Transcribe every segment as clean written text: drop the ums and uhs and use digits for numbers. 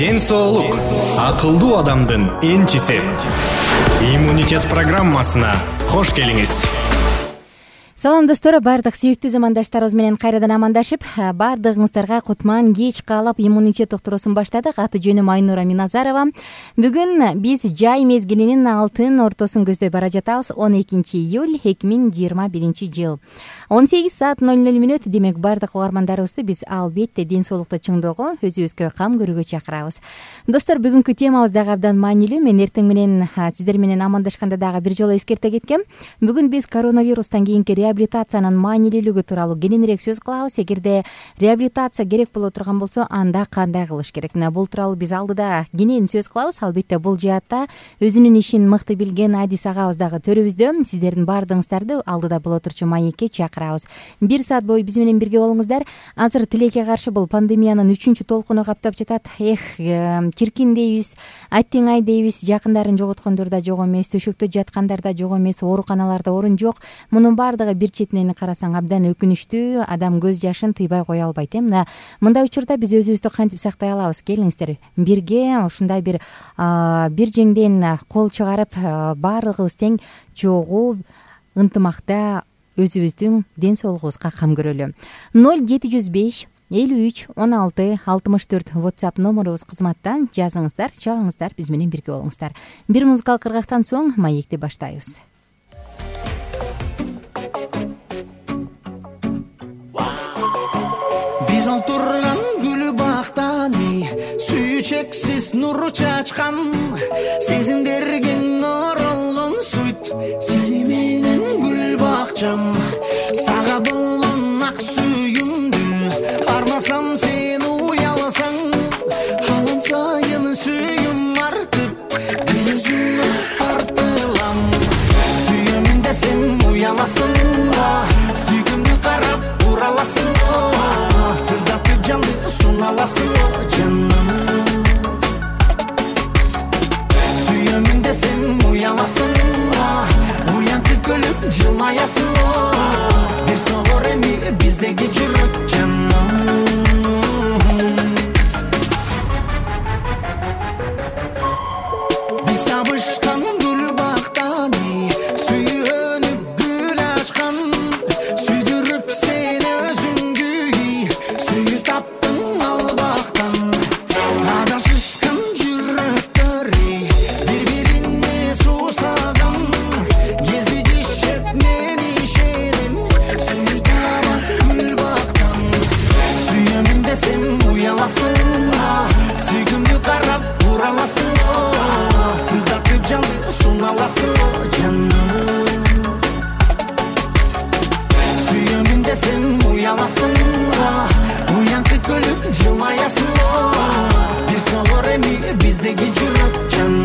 Ден соолук акылдуу адамдын энчиси. Иммунитет программасына кош келиңиз. Салам достор, бардык сүйүктүү замандаштарыбыз менен кайрадан амандашып, бардыгыңыздарга кутман кеч каалап иммунитет доктурусун баштадык. Аты жөнүм Айнура Миназарова. Бүгүн биз жай мезгилинин алтын ортосун көздөй бара жатабыз. 12 июль 2021 жыл. 18 саат 00 демек бардык угармандарыбызды биз албетте ден соолукту чыңдоого, өзүбүзгө кам көрүүгө чакырабыз. Достор, бүгүнкү темабыз дагы абдан маанилүү. Мен эртең менен сиздер менен амандашканда дагы бир жолу эскерте кеткем. Бүгүн биз коронавирустан кийинки реабилитациянын маанилүүлүгү тууралуу кененирээк сөз кылабыз. Эгерде реабилитация керек боло турган болсо, анда кандай кылыш керек? Бул тууралуу биз алдыда кенен сөз кылабыз. Албетте бул жаатта өзүнүн ишин мыкты билген Адис агабыз дагы төрүбүздө. Сиздердин бардыгыңыздарды алдыда боло турчу маекке чакырабыз. 1 саат бою биз менен бирге болуңуздар. Азыр тилекке каршы бул пандемиянын 3-чү толкуну каптап жатат. Чиркин дейбиз, аттиңай дейбиз. Жакындарын жоготкондор да жок эмес, төшөктө жаткандар да жок эмес, ооруканаларда орун жок. Мунун бардыгы бир четинен карасаң абдан өкүнүчтүү. Адам көз жашын тыйбай кое албайт. Мындай учурда биз өзүбүздү кантип сактай алабыз? Келиңиздер, бирге ушундай бир жеңден кол чыгарып, баардыгыбыз тең чогуу ынтымакта өзүбүздүн ден соолугубузга кам көрөлү. 0705 53 16 64 WhatsApp номерубуз кызматта. Жазыңыздар, чалыңыздар, биз менен бирге болуңуздар. Бир музыкалык кыргактан соң маекти баштайбыз. Биз олтурган гүл бактан сүйүү чексиз нур чачкан, сезимдерге оролгон суйт, сени менен гүл бакчам. Сага болгон ак сүйүмдү армасам, сен уяласаң, алан сайын сүйүм артып, мен өзүмө тартылам. Сүйөмүн десем уяласың, сүйгүмдү карап ураласың, сыздатып жанды суналасың жаным. Сүйөмүн десем уяласың, уянтып көлүп жылмаясың, бир согор эми биздеги жүрөк жаным. Биз табышкан гүл бактан сүйөнүп гүл ачкан, сүйдүрүп сени өзүңгү сүйүп таптың ал бактан. Адашышкан жүрөктөр бири-бирине суусаган, кезигишет мен ишенем, сүйүп табат гүл бактан. Сүйөмүн десем уяласың, сүйгүмдү карап ураласың, сыздатып жанды суналасың жаным. Сүйөмүн десем уяласың, уянтып көлүп жылмаясың, бир согор эми биздеги жүрөк жаным.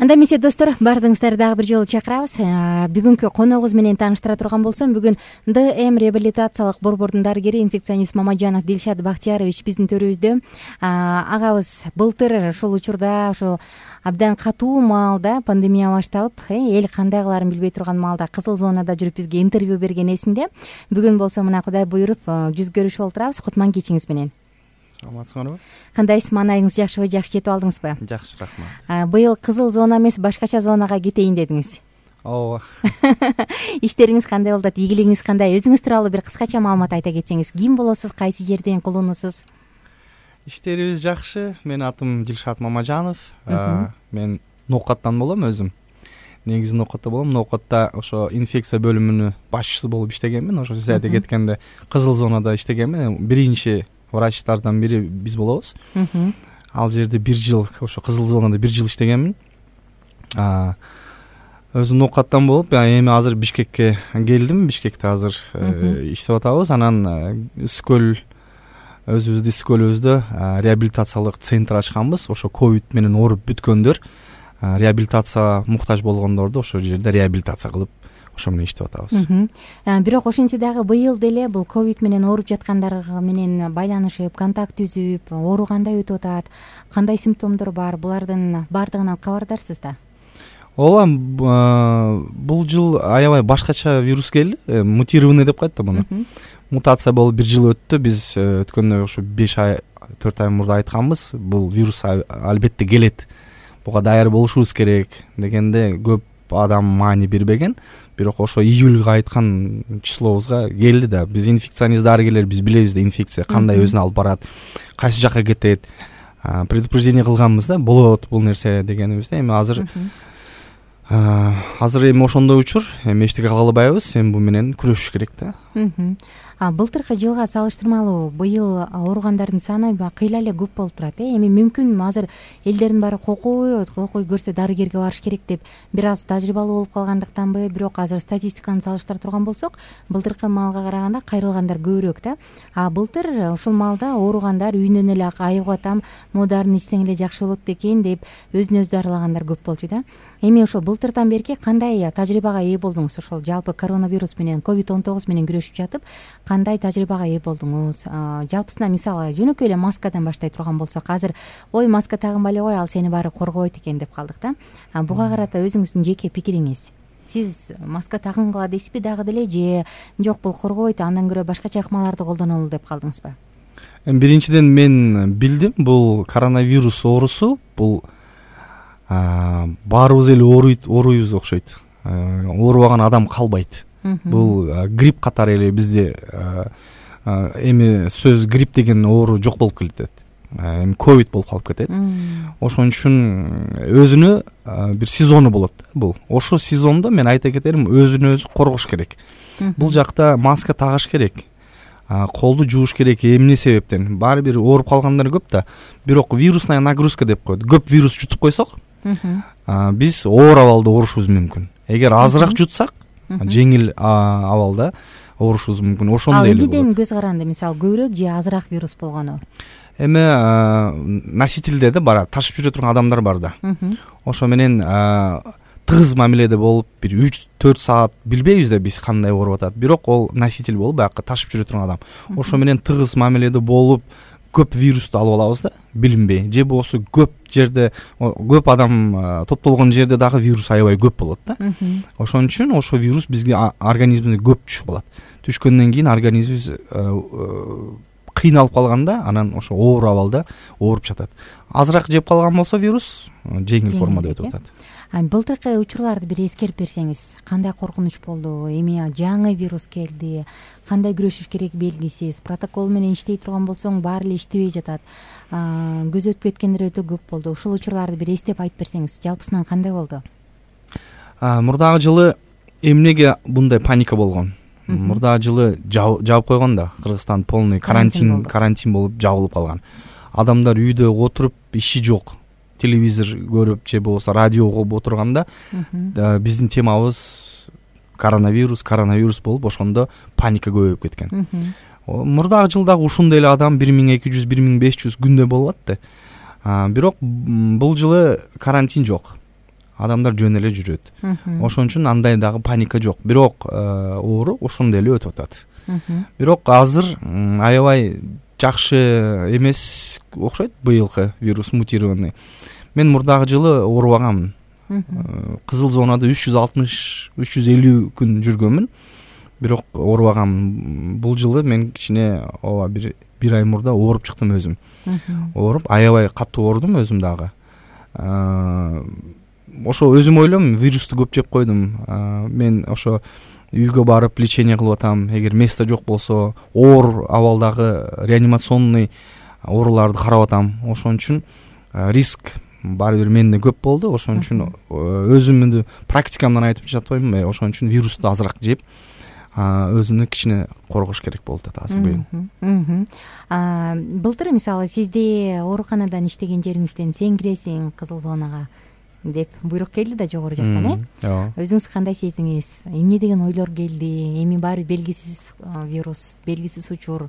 Анда эмесе достор, баардыгыңыздарды дагы бир жолу чакырабыз. Бүгүнкү коногубуз менен тааныштыра турган болсом, бүгүн ДМ реабилитациялык борбордун дарыгери инфекционист Мамаджанов Дилшат Бактиярович биздин төрүбүздө. Агабыз былтыр ошол учурда ошол абдан катуу маалда пандемия башталып, эл кандай кылаарын билбей турган маалда кызыл зонада жүрүп бизге интервью берген эсимде. Бүгүн болсо мына Кудай буйруп жүз көрүшүп олтурабыз. Кутман кечиңиз менен. Саламатсыңарбы? Кандайсыз, маанайыңыз жакшыбы, жакшы жетип алдыңызбы? Жакшы, рахмат. Быйыл кызыл зона эмес, башкача зонага кетейин дедиңиз. Ооба. Иштериңиз кандай болуп атат? Ийгилигиңиз кандай? Өзүңүз тууралуу бир кыскача маалымат айта кетсеңиз. Ким болосуз? Кайсы жерден кулунусуз? Иштерибиз жакшы. Менин атым Дилшат Мамаджанов. Мен Ноокаттан болом өзүм. Негизи Ноокатта болом. Ноокатта ошо инфекция бөлүмүнүн башчысы болуп иштегенмин. Ошо сиз айта кеткенде кызыл зонада иштегенмин. Биринчи врачтардан бири биз болобуз. Ал жерде 1 жыл, ошо кызыл зонада 1 жыл иштегенмин. Өзүм Ноокаттан болуп, эми азыр Бишкекке келдим. Бишкекте азыр иштеп атабыз. Анан Скөл өзүбүздүн Скөлүбүздө реабилитациялык центр ачканбыз. Ошо ковид менен ооруп бүткөндөр, реабилитация муктаж болгондорду ошол жерде реабилитация кылып, ошо менен иштеп атабыз. Бирок ошентсе дагы быйыл деле бул ковид менен ооруп жаткандар менен байланышып, контакт түзүп, оору кандай өтүп атат, кандай симптомдор бар, булардын баардыгынан кабардарсыз да? Ооба, бул жыл аябай башкача вирус келди. Мутированный деп коет да муну. Мутация болуп 1 жыл өттү. Биз өткөндө ошо 5 ай, 4 ай мурда айтканбыз. Бул вирус албетте келет. Буга даяр болушубуз керек дегенде көп адам маани бербеген. Бирок ошо июлга айткан числобузга келди да. Биз инфекционист дарыгерлер, биз билебиз да инфекция кандай өзүн алып барат, кайсы жакка кетет. Предупреждение кылганбыз да, болот бул нерсе дегенибизде. Эми азыр эми ошондой учур, эми эчтеке кыла албайбыз, эми бу менен күрөшүш керек да. Былтыркы жылга салыштырмалуу быйыл ооругандардын саны кыйла эле көп болуп турат. Эми мүмкүн азыр элдердин баары кокуй көрсө дарыгерге барыш керек деп бир аз тажрыйбалуу болуп калгандыктанбы? Бирок азыр статистиканы салыштыра турган болсок, былтыркы маалга караганда кайрылгандар көбүрөөк да. Былтыр ушул маалда ооругандар үйүнөн эле айыгып атам, модарын ичсең эле жакшы болот экен деп өзүн өзү дарылагандар көп болчу да. Эми ошо былтырдан берки кандай тажрыйбага ээ болдуңуз? Ошол жалпы коронавирус менен, COVID-19 менен күрөшүп жатып, кандай тажрыйбага ээ болдуңуз? Жалпысынан мисалы жөнөкөй эле маскадан баштай турган болсок, азыр ой маска тагынбай эле кой, ал сени баары коргобойт экен деп калдык да. Буга карата өзүңүздүн жеке пикириңиз? Сиз маска тагынгыла дейсизби дагы деле, же жок бул коргобойт, андан көрө башкача ыкмаларды колдонолу деп калдыңызбы? Биринчиден мен билдим, бул коронавирус оорусу бул баарыбыз эле ооруйбуз окшойт. Оорубаган адам калбайт. Бул грипп катары эле бизде эми сөз грипп деген оору жок болуп кетет. Эми ковид болуп калып кетет. Ошон үчүн өзүнө бир сезону болот да бул. Ошол сезондо мен айта кетерим, өзүн өзү коргош керек. Бул жакта маска тагыш керек. Колду жууш керек. Эмне себептен? Баары бир ооруп калгандар көп да. Бирок вирусная нагрузка деп коет. Көп вирус жутуп койсок, биз оор абалда оорушубуз мүмкүн. Эгер азыраак жутсак, жеңил абалда оорушубуз мүмкүн. Ошондой эле болот. Ал эмнеден көз каранды, мисалы көбүрөөк же азыраак вирус болгону? Эми носительде да бар, ташып жүрө турган адамдар бар да. Ошо менен тыгыз мамиледе болуп, бир 3-4 саат билбейбиз да биз кандай ооруп атат. Бирок ол носитель болуп, баягы ташып жүрө турган адам. Ошо менен тыгыз мамиледе болуп, көп вирусту алып алабыз да, билинбей. Же болсо көп жерде, көп адам топтолгон жерде дагы вирус аябай көп болот да. Ошон үчүн ошо вирус бизге организмибизге көп түшүп калат. Түшкөндөн кийин организмибиз кыйналып калганда, анан ошо оор абалда ооруп жатат. Азыраак жеп калган болсо вирус жеңил формада өтүп атат. Былтыркы учурларды бир эскерип берсеңиз, кандай коркунуч болду? Эми жаңы вирус келди, кандай күрөшүш керек белгисиз. Протокол менен иштей турган болсоң, баары эле иштебей жатат. Көз өтүп кеткендер өтө көп болду. Ушул учурларды бир эстеп айтып берсеңиз, жалпысынан кандай болду? Мурдагы жылы эмнеге мындай паника болгон? Мурдагы жылы жаап койгон да, Кыргызстан полный карантин болуп жабылып калган. Адамдар үйдө отуруп, иши жок. Телевизор көрүп же болбосо радио угуп отурганда биздин темабыз коронавирус болуп, ошондо паника көбөйүп кеткен. Мурдагы жылдагы ушундай эле адам 1200-1500 күндө болуп атты. Бирок бул жылы карантин жок. адамдар жөн эле жүрөт. Ошон үчүн андай дагы паника жок. Бирок оору ошондой эле өтүп атат. Бирок азыр аябай жакшы эмес окшойт быйылкы вирус мутированный. Мен мурдагы жылы оорубаганмын. Кызыл зонада 360-350 күн жүргөнмүн. Бирок оорубаганмын. Бул жылы мен кичине ооба бир ай мурда ооруп чыктым өзүм. Ооруп аябай катуу оорудум өзүм дагы. Ошо өзүм ойлойм, вирусту көп жеп койдум. Мен ошо үйгө барып лечение кылып атам. Эгер место жок болсо, оор абалдагы реанимационный ооруларды карап атам. Ошон үчүн риск баары бир менде көп болду. Ошон үчүн өзүмдү практикамдан айтып жатпаймынбы. Ошон үчүн вирусту азыраак жеп, өзүнү кичине коргош керек болуп атат азыр быйыл. Былтыр мисалы сизде ооруканадан иштеген жериңизден сен киресиң кызыл зонага деп буйрук келди да жогору жактан, өзүңүз кандай сездиңиз? Эмне деген ойлор келди? Эми баары белгисиз вирус, белгисиз учур.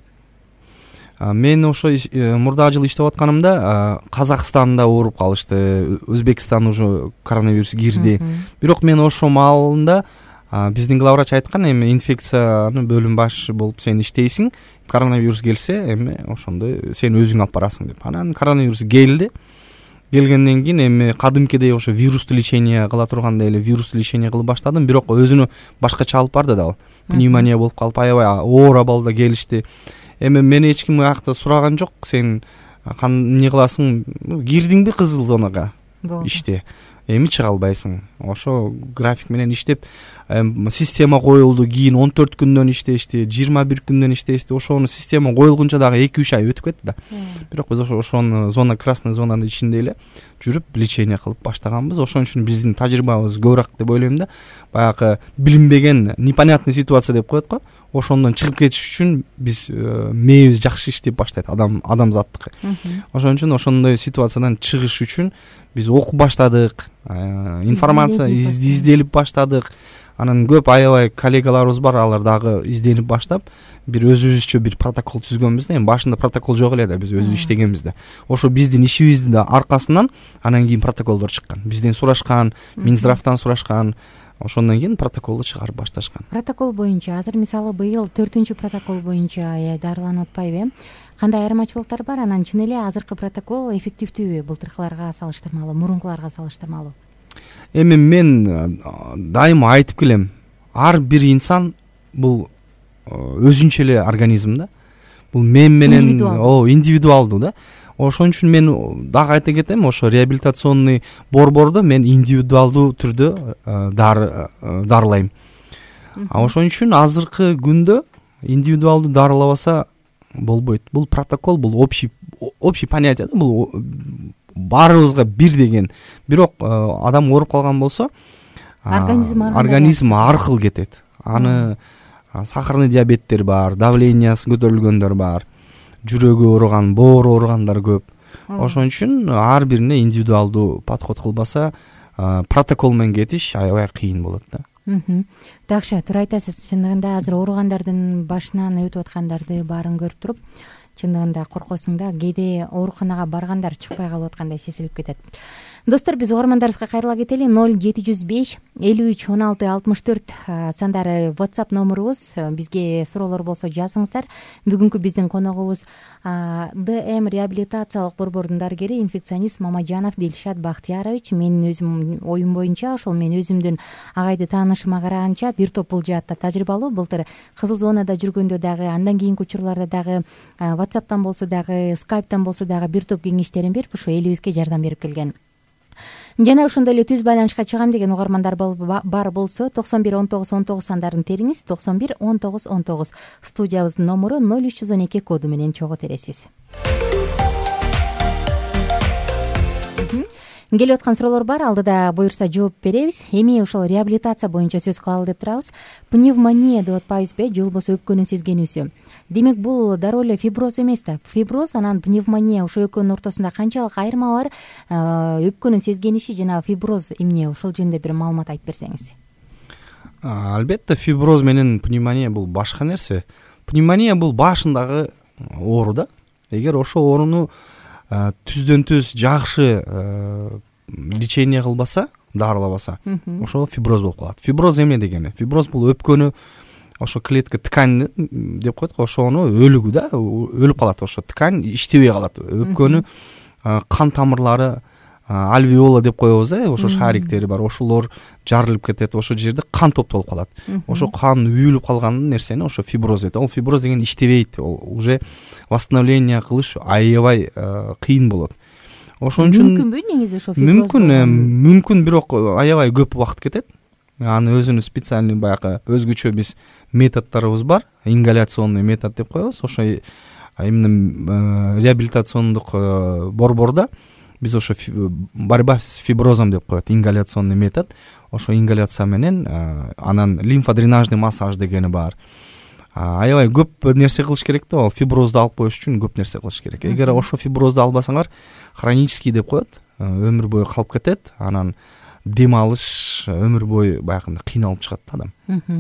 Мен ошо мурдагы жылы иштеп атканымда Казакстанда ооруп калышты, Өзбекстан уже коронавирус кирди. Бирок мен ошо маалында биздин главврач айткан, эми инфекциянын бөлүм башчы болуп сен иштейсиң, коронавирус келсе эми ошондо сен өзүң алып барасың деп. Анан коронавирус келди. Келгенден кийин эми кадимкидей ошо вирусту лечение кыла тургандай эле вирусту лечение кылып баштадым. Бирок өзүнө башкача алып барды да ал. Пневмония болуп калып, аябай оор абалда келишти. Эми мени эч ким аякта сураган жок, сен эмне кыласың? Кирдиңби кызыл зонага? Иште. Эми чыга албайсың. Ошо график менен иштеп, система коюлду. Кийин 14 күндөн иштешти, 21 күндөн иштешти. Ошону система коюлгунча дагы 2-3 ай өтүп кетти да. Бирок биз ошону зона, красный зонанын ичинде эле жүрүп лечение кылып баштаганбыз. Ошон үчүн биздин тажрыйбабыз көбүрөөк деп ойлойм да. Баягы билинбеген, непонятный ситуация деп коет го. Ошондон чыгып кетиш үчүн биз мээбиз жакшы иштеп баштайт, адамзаттыкы. Ошон үчүн ошондой ситуациядан чыгыш үчүн биз окуп баштадык, информация изделип баштадык. Анан көп аябай коллегаларыбыз бар, алар дагы изденип баштап, бир өзүбүзчө бир протокол түзгөнбүз да. Эми башында протокол жок эле да, биз өзүбүз иштегенбиз да. Ошо биздин ишибиздин да аркасынан анан кийин протоколдор чыккан. Бизден сурашкан, Минздравтан сурашкан. Ошондон кийин протоколду чыгарып башташкан. Протокол боюнча азыр мисалы быйыл 4-чү протокол боюнча дарыланып атпайбы? Кандай айырмачылыктар бар? Анан чын эле азыркы протокол эффективдүүбү былтыркыларга салыштырмалуу, мурункуларга салыштырмалуу? Эми мен дайыма айтып келем, ар бир инсан бул өзүнчө эле организм да. Бул мен менен индивидуалдуу да. Ошон үчүн мен дагы айта кетем, ошо реабилитационный борбордо мен индивидуалдуу түрдө дарылайм. Ошон үчүн азыркы күндө индивидуалдуу дарылабаса болбойт. Бул протокол, бул общий понятие да, бул баарыбызга бир деген. Бирок адам ооруп калган болсо, организм ар кыл кетет. Аны сахарный диабеттер бар, давлениясы көтөрүлгөндөр бар, жүрөгү ооруган, боору ооругандар көп. Ошон үчүн ар бирине индивидуалдуу подход кылбаса, протокол менен кетиш аябай кыйын болот да. Такшы, туура айтасыз. Чындыгында азыр ооругандардын башынан өтүп аткандарды баарын көрүп туруп, чындыгында коркосуң да, кээде ооруканага баргандар чыкпай калып аткандай сезилип кетет. Достор, биз угармандарыбызга кайрыла кетели. 0705 53 16 64 сандары WhatsApp номурубуз. Бизге суроолор болсо жазыңыздар. Бүгүнкү биздин коногубуз ДМ реабилитациялык борбордун дарыгери, инфекционист Мамажанов Дилшат Бактиярович. Менин өзүм оюм боюнча, ошол мен өзүмдүн агайды таанышыма караганча бир топ бул жаатта тажрыйбалуу. Былтыр кызыл зонада жүргөндө дагы, андан кийинки учурларда дагы WhatsApp'тан болсо дагы, Skype'тан болсо дагы бир топ кеңештерин берип, ошо элибизге жардам берип келген. Жана ошондой эле түз байланышка чыгам деген угармандар бар болсо 91 19 19 сандарын териңиз. 91 19 19 студиябыздын номуру 0312 коду менен чогуу тересиз. Келип аткан суроолор бар, алдыда буюрса жооп беребиз. Эми ошол реабилитация боюнча сөз кылалы деп турабыз. Пневмония деп атпайбызбы же болбосо өпкөнүн сезгенүүсү? Демек бул дароо эле фиброз эмес да. Фиброз анан пневмония ошо экөөнүн ортосунда канчалык айырма бар? Өпкөнүн сезгениши жана фиброз эмне? Ошол жөнүндө бир маалымат айтып берсеңиз. Албетте, фиброз менен пневмония бул башка нерсе. Пневмония бул башындагы оору да. Эгер ошол ооруну түздөн түз жакшы лечение кылбаса, дарылабаса ошо фиброз болуп калат. Фиброз эмне дегени? Фиброз бул өпкөнү ошо клетка ткань деп коет го, ошону өлүгү да, өлүп калат, ошо ткань иштебей калат. Өпкөнү кан тамырлары, альвеола деп коебуз, ошо шариктери бар, ошолор жарылып кетет, ошол жерде кан топтолуп калат. Ошо кан үйүлүп калган нерсени ошо фиброз дейт. Ал фиброз деген иштебейт, ол уже восстановление кылыш аябай кыйын болот. Ошон үчүн мүмкүнбү негизи ошо фиброз? Мүмкүн, бирок аябай көп убакыт кетет. Аны өзүнүн специальный баягы өзгөчө биз методдорубуз бар, ингаляционный метод деп коебуз. Ошо именно реабилитациондук борбордо биз ошо борьба с фиброзом деп коет, ингаляционный метод. Ошо ингаляция менен, анан лимфодренажный массаж дегени бар. Аябай көп нерсе кылыш керек да, ал фиброзду алып коюш үчүн көп нерсе кылыш керек. Эгер ошо фиброзду албасаңар, хронический деп коет, өмүр бою калып кетет, анан дем алыш өмүр бою баягындай кыйналып чыгат да адам.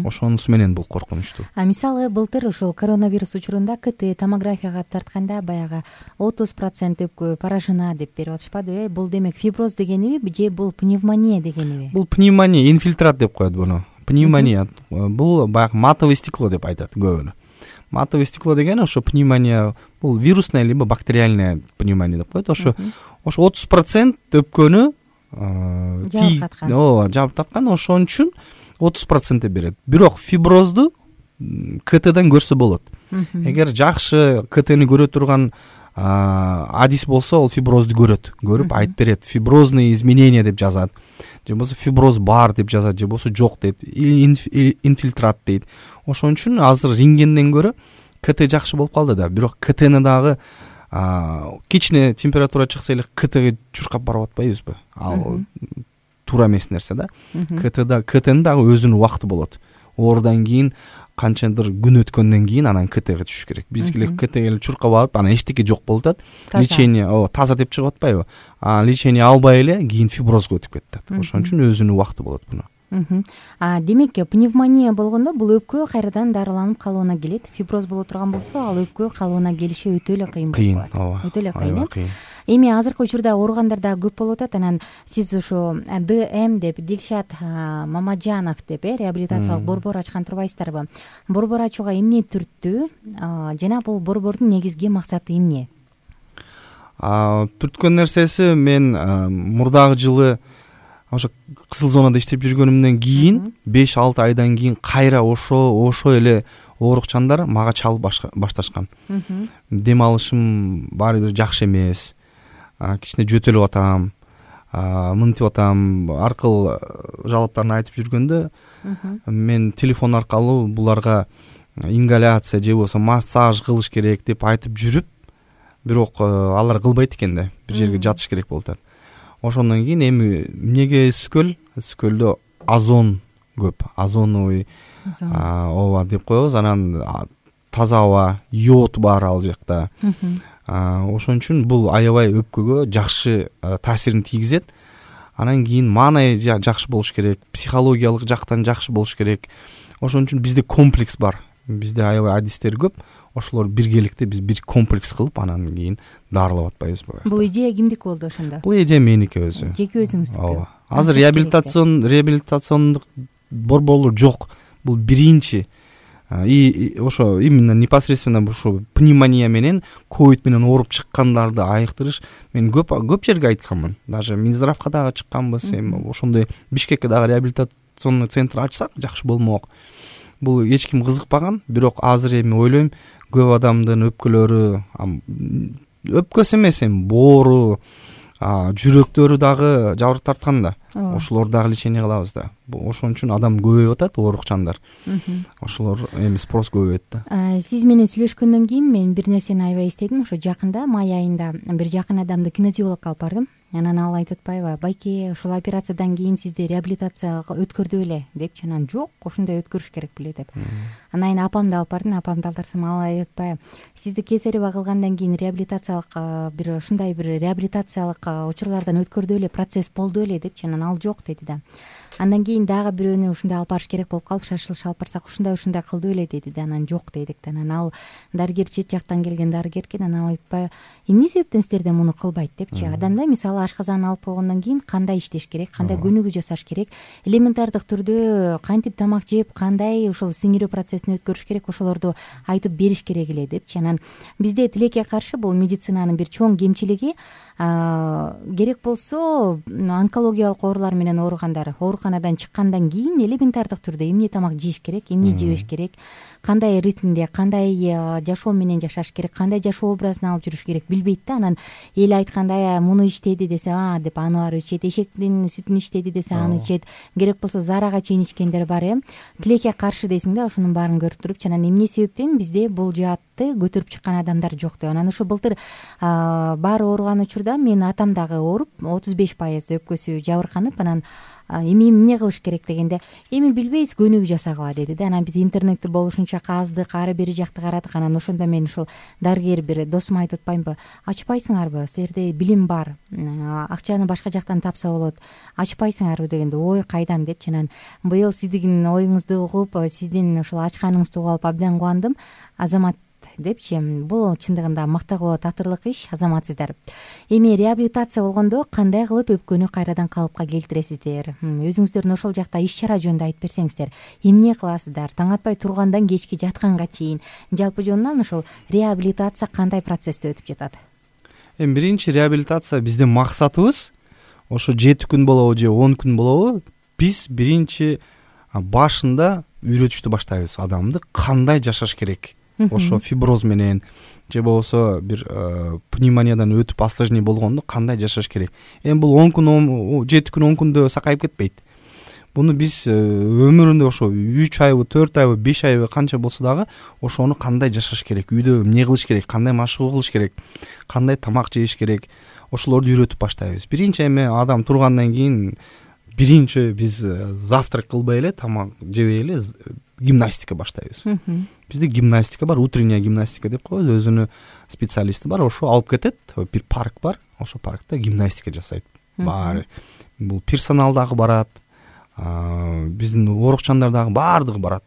Ошонусу менен бул коркунучтуу. Мисалы былтыр ушул коронавирус учурунда КТ томографияга тартканда баягы 30% өпкө поражена деп берип атышпадыбы? Бул демек фиброз дегениби же бул пневмония дегениби? Бул пневмония, инфильтрат деп коет буну. Пневмония бул баягы матовый стекло деп айтат көбүнө. Матовый стекло деген ошо пневмония, бул вирусная либо бактериальная пневмония деп коет. Ошо 30% өпкөнү жабып таткан, ошон үчүн 30% берет. Бирок фиброзду КТдан көрсө болот. Эгер жакшы КТни көрө турган адис болсо, ол фиброзду көрүп айтып берет. Фиброзные изменения деп жазат, же болбосо фиброз бар деп жазат, же болбосо жок дейт, инфильтрат дейт. Ошон үчүн азыр рентгенден көрө КТ жакшы болуп калды да. Бирок КТни дагы кичине температура чыкса эле КТга чуркап барып атпайбызбы? Ал туура эмес нерсе да. КТнин дагы өзүнүн убакыты болот. Оорудан кийин канчадыр күн өткөндөн кийин анан КТга түшүш керек. Бизгилер КТге чуркап алып, анан эчтеке жок болуп атат. Лечение таза деп чыгып атпайбы? Лечение албай эле кийин фиброзго өтүп кетет. Ошон үчүн өзүнүн убакыты болот буну. Демек пневмония болгондо бул өпкө кайрадан дарыланып калууна келет. Фиброз боло турган болсо, ал өпкө калууна келиши өтө эле кыйын болот. Өтө эле кыйын. Эми азыркы учурда ооругандар да көп болуп атат. Анан сиз ушу ДМ деп, Дилшат Мамаджанов деп реабилитациялык борбор ачкан турбайсыздарбы? Борбор ачууга эмне түрттү? Жана бул борбордун негизги максаты эмне? Түрткөн нерсеси, мен мурдагы жылы ошо кызыл зонада иштеп жүргөнүмдөн кийин 5-6 айдан кийин кайра ошо эле оорукчандар мага чалып башташкан. Дем алышым баары бир жакшы эмес, кичине жөтөлүп атам, мынтип атам, аркыл жалаптарын айтып жүргөндө мен телефон аркылуу буларга ингаляция же болбосо массаж кылыш керек деп айтып жүрүп, бирок алар кылбайт экен да, бир жерге жатыш керек болуп атат. Ошондон кийин эми эмнеге Скөлдө озон көп, озоновый ооба деп коебуз, анан таза аба, йод бар ал жакта. Ошон үчүн бул аябай өпкөгө жакшы таасирин тийгизет. Анан кийин маанай жакшы болуш керек, психологиялык жактан жакшы болуш керек. Ошон үчүн бизде комплекс бар. Бизде аябай адистер көп. Ошолор биргеликте биз бир комплекс кылып, анан кийин дарылап атпайбызбы? Бул идея кимдики болду ошондо? Бул идея меники өзү. Жеке өзүңүздүкү. Ооба. Азыр реабилитациондук борборлор жок. Бул биринчи. Ошо именно непосредственно ушу пневмония менен, ковид менен ооруп чыккандарды айыктырыш мен көп жерге айтканмын. Даже Минздравга дагы чыкканбыз. Эми ошондой Бишкекке дагы реабилитационный центр ачсак жакшы болмок. Бул эч ким кызыкпаган, бирок азыр эми ойлойм, көп адамдын өпкөлөрү, өпкөсү эмес, эми боору, жүрөктөрү дагы жабырып тарткан да. Ошолор дагы лечение кылабыз да. Ошон үчүн адам көбөйүп атат, оорукчандар. Ошолор эми спрос көбөйөт да. Сиз менен сүйлөшкөндөн кийин мен бир нерсени аябай эстедим. Ошо жакында май айында бир жакын адамды кинезиологко алып бардым. Анан ал айтып атпайбы, байке, ушул операциядан кийин сизди реабилитацияга өткөрдү беле депчи. Анан жок, ошондой өткөрүш керек беле деп. Анан кийин апамды алып бардым, апамды алдырсам ал айтып атпайбы, сизди кесарево кылгандан кийин реабилитациялык бир ушундай бир реабилитациялык учурлардан өткөрдү беле, процесс болду беле депчи. Анан ал жок деди да. Андан кийин дагы бирөөнү ушундай алып барыш керек болуп калып, шашылыш алып барсак ушундай кылды беле деди да, анан жок дедик да. Анан ал дарыгер чет жактан келген дарыгер экен, анан ал айтпай эмне себептен силерде муну кылбайт депчи. Адамда мисалы ашказан алып койгондон кийин кандай иштеш керек, кандай көнүгүү жасаш керек, элементардык түрдө кантип тамак жеп, кандай ошол сиңирүү процессин өткөрүш керек, ошолорду айтып бериш керек эле депчи. Анан бизде тилекке каршы бул медицинанын бир чоң кемчилиги, керек болсо онкологиялык оорулар менен ооругандар ооруканадан чыккандан кийин элементардык түрдө эмне тамак жеш керек, эмне жебеш керек, кандай ритмде, кандай жашоо менен жашаш керек, кандай жашоо образын алып жүрүш керек билбейт да. Анан эл айткандай муну ичтеди десе деп аны баары ичет, эшектин сүтүн ичтеди десе аны ичет, керек болсо зарага чейин ичкендер бар. Тилекке каршы дейсиң да, ошонун баарын көрүп туруп. Анан эмне себептен бизде бул жаатты көтөрүп чыккан адамдар жок деп. Анан ошо былтыр баары ооруган учурда менин атам дагы ооруп 35% өпкөсү жабырканып, анан эми эмне кылыш керек дегенде, эми билбейбиз, көнүгүү жасагыла деди да. Анан биз интернетти болушунча каздык, ары бери жакты карадык. Анан ошондо мен ушул дарыгер бир досума айтып атпаймынбы, ачпайсыңарбы, силерде билим бар, акчаны башка жактан тапса болот, ачпайсыңарбы дегенде, ой кайдан депчи. Анан быйыл сиздин оюңузду угуп, сиздин ушул ачканыңызды угуп алып абдан кубандым. Азамат депчи, бул чындыгында мактоого татырлык иш, азаматсыздар. Эми реабилитация болгондо кандай кылып өпкөнү кайрадан калыпка келтиресиздер? Өзүңүздөрдүн ошол жакта иш чара жөнүндө айтып берсеңиздер. Эмне кыласыздар? Таң атпай тургандан кечки жатканга чейин жалпы жонунан ошол реабилитация кандай процессте өтүп жатат? Эми биринчи реабилитация биздин максатыбыз ошо 7 күн болобу же 10 күн болобу, биз биринчи башында үйрөтүштү баштайбыз. Адамды кандай жашаш керек, ошо фиброз менен же болбосо бир пневмониядан өтүп осложнение болгондо кандай жашаш керек. Эми бул 10 күн, 7 күн, 10 күндө сакайып кетпейт. Буну биз өмүрүндө ошо 3 айбы, 4 айбы, 5 айбы канча болсо дагы ошону кандай жашаш керек, үйдө эмне кылыш керек, кандай машыгуу кылыш керек, кандай тамак жеш керек, ошолорду үйрөтүп баштайбыз. Биринчи эми адам тургандан кийин биринчи биз завтрак кылбай эле, тамак жебей эле гимнастика баштайбыз. Бизде гимнастика бар, утренняя гимнастика деп коебуз, өзүнүн специалисти бар, ошо алып кетет, бир парк бар, ошо паркта гимнастика жасайт. Баары бул персонал дагы барат, биздин оорукчандар дагы баардыгы барат.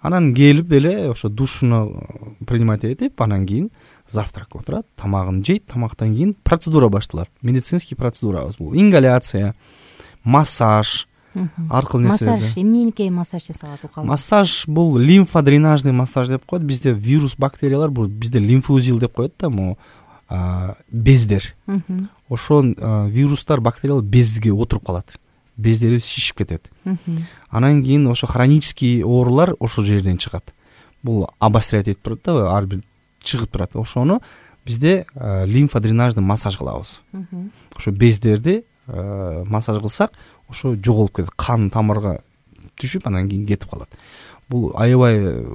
Анан келип эле ошо душуну принимать этип, анан кийин завтракка отурат, тамагын жейт, тамактан кийин процедура башталат. Медицинский процедурабыз бул ингаляция, массаж аркылуу нерселерди. Массаж эмнеге массаж жасалат укал? Массаж бул лимфодренажный массаж деп коет. Бизде вирус, бактериялар, бул бизде лимфоузел деп коет да, могу бездер. Ошо вирустар, бактериялар безге отуруп калат. Бездери шишип кетет. Анан кийин ошо хронический оорулар ошол жерден чыгат. Бул обострять этип турат да, ар бир чыгып турат. Ошону бизде лимфодренажный массаж кылабыз. Ошо бездерди массаж кылсак, ошо жоголуп кетет, кан тамырга түшүп, анан кийин кетип калат. Бул аябай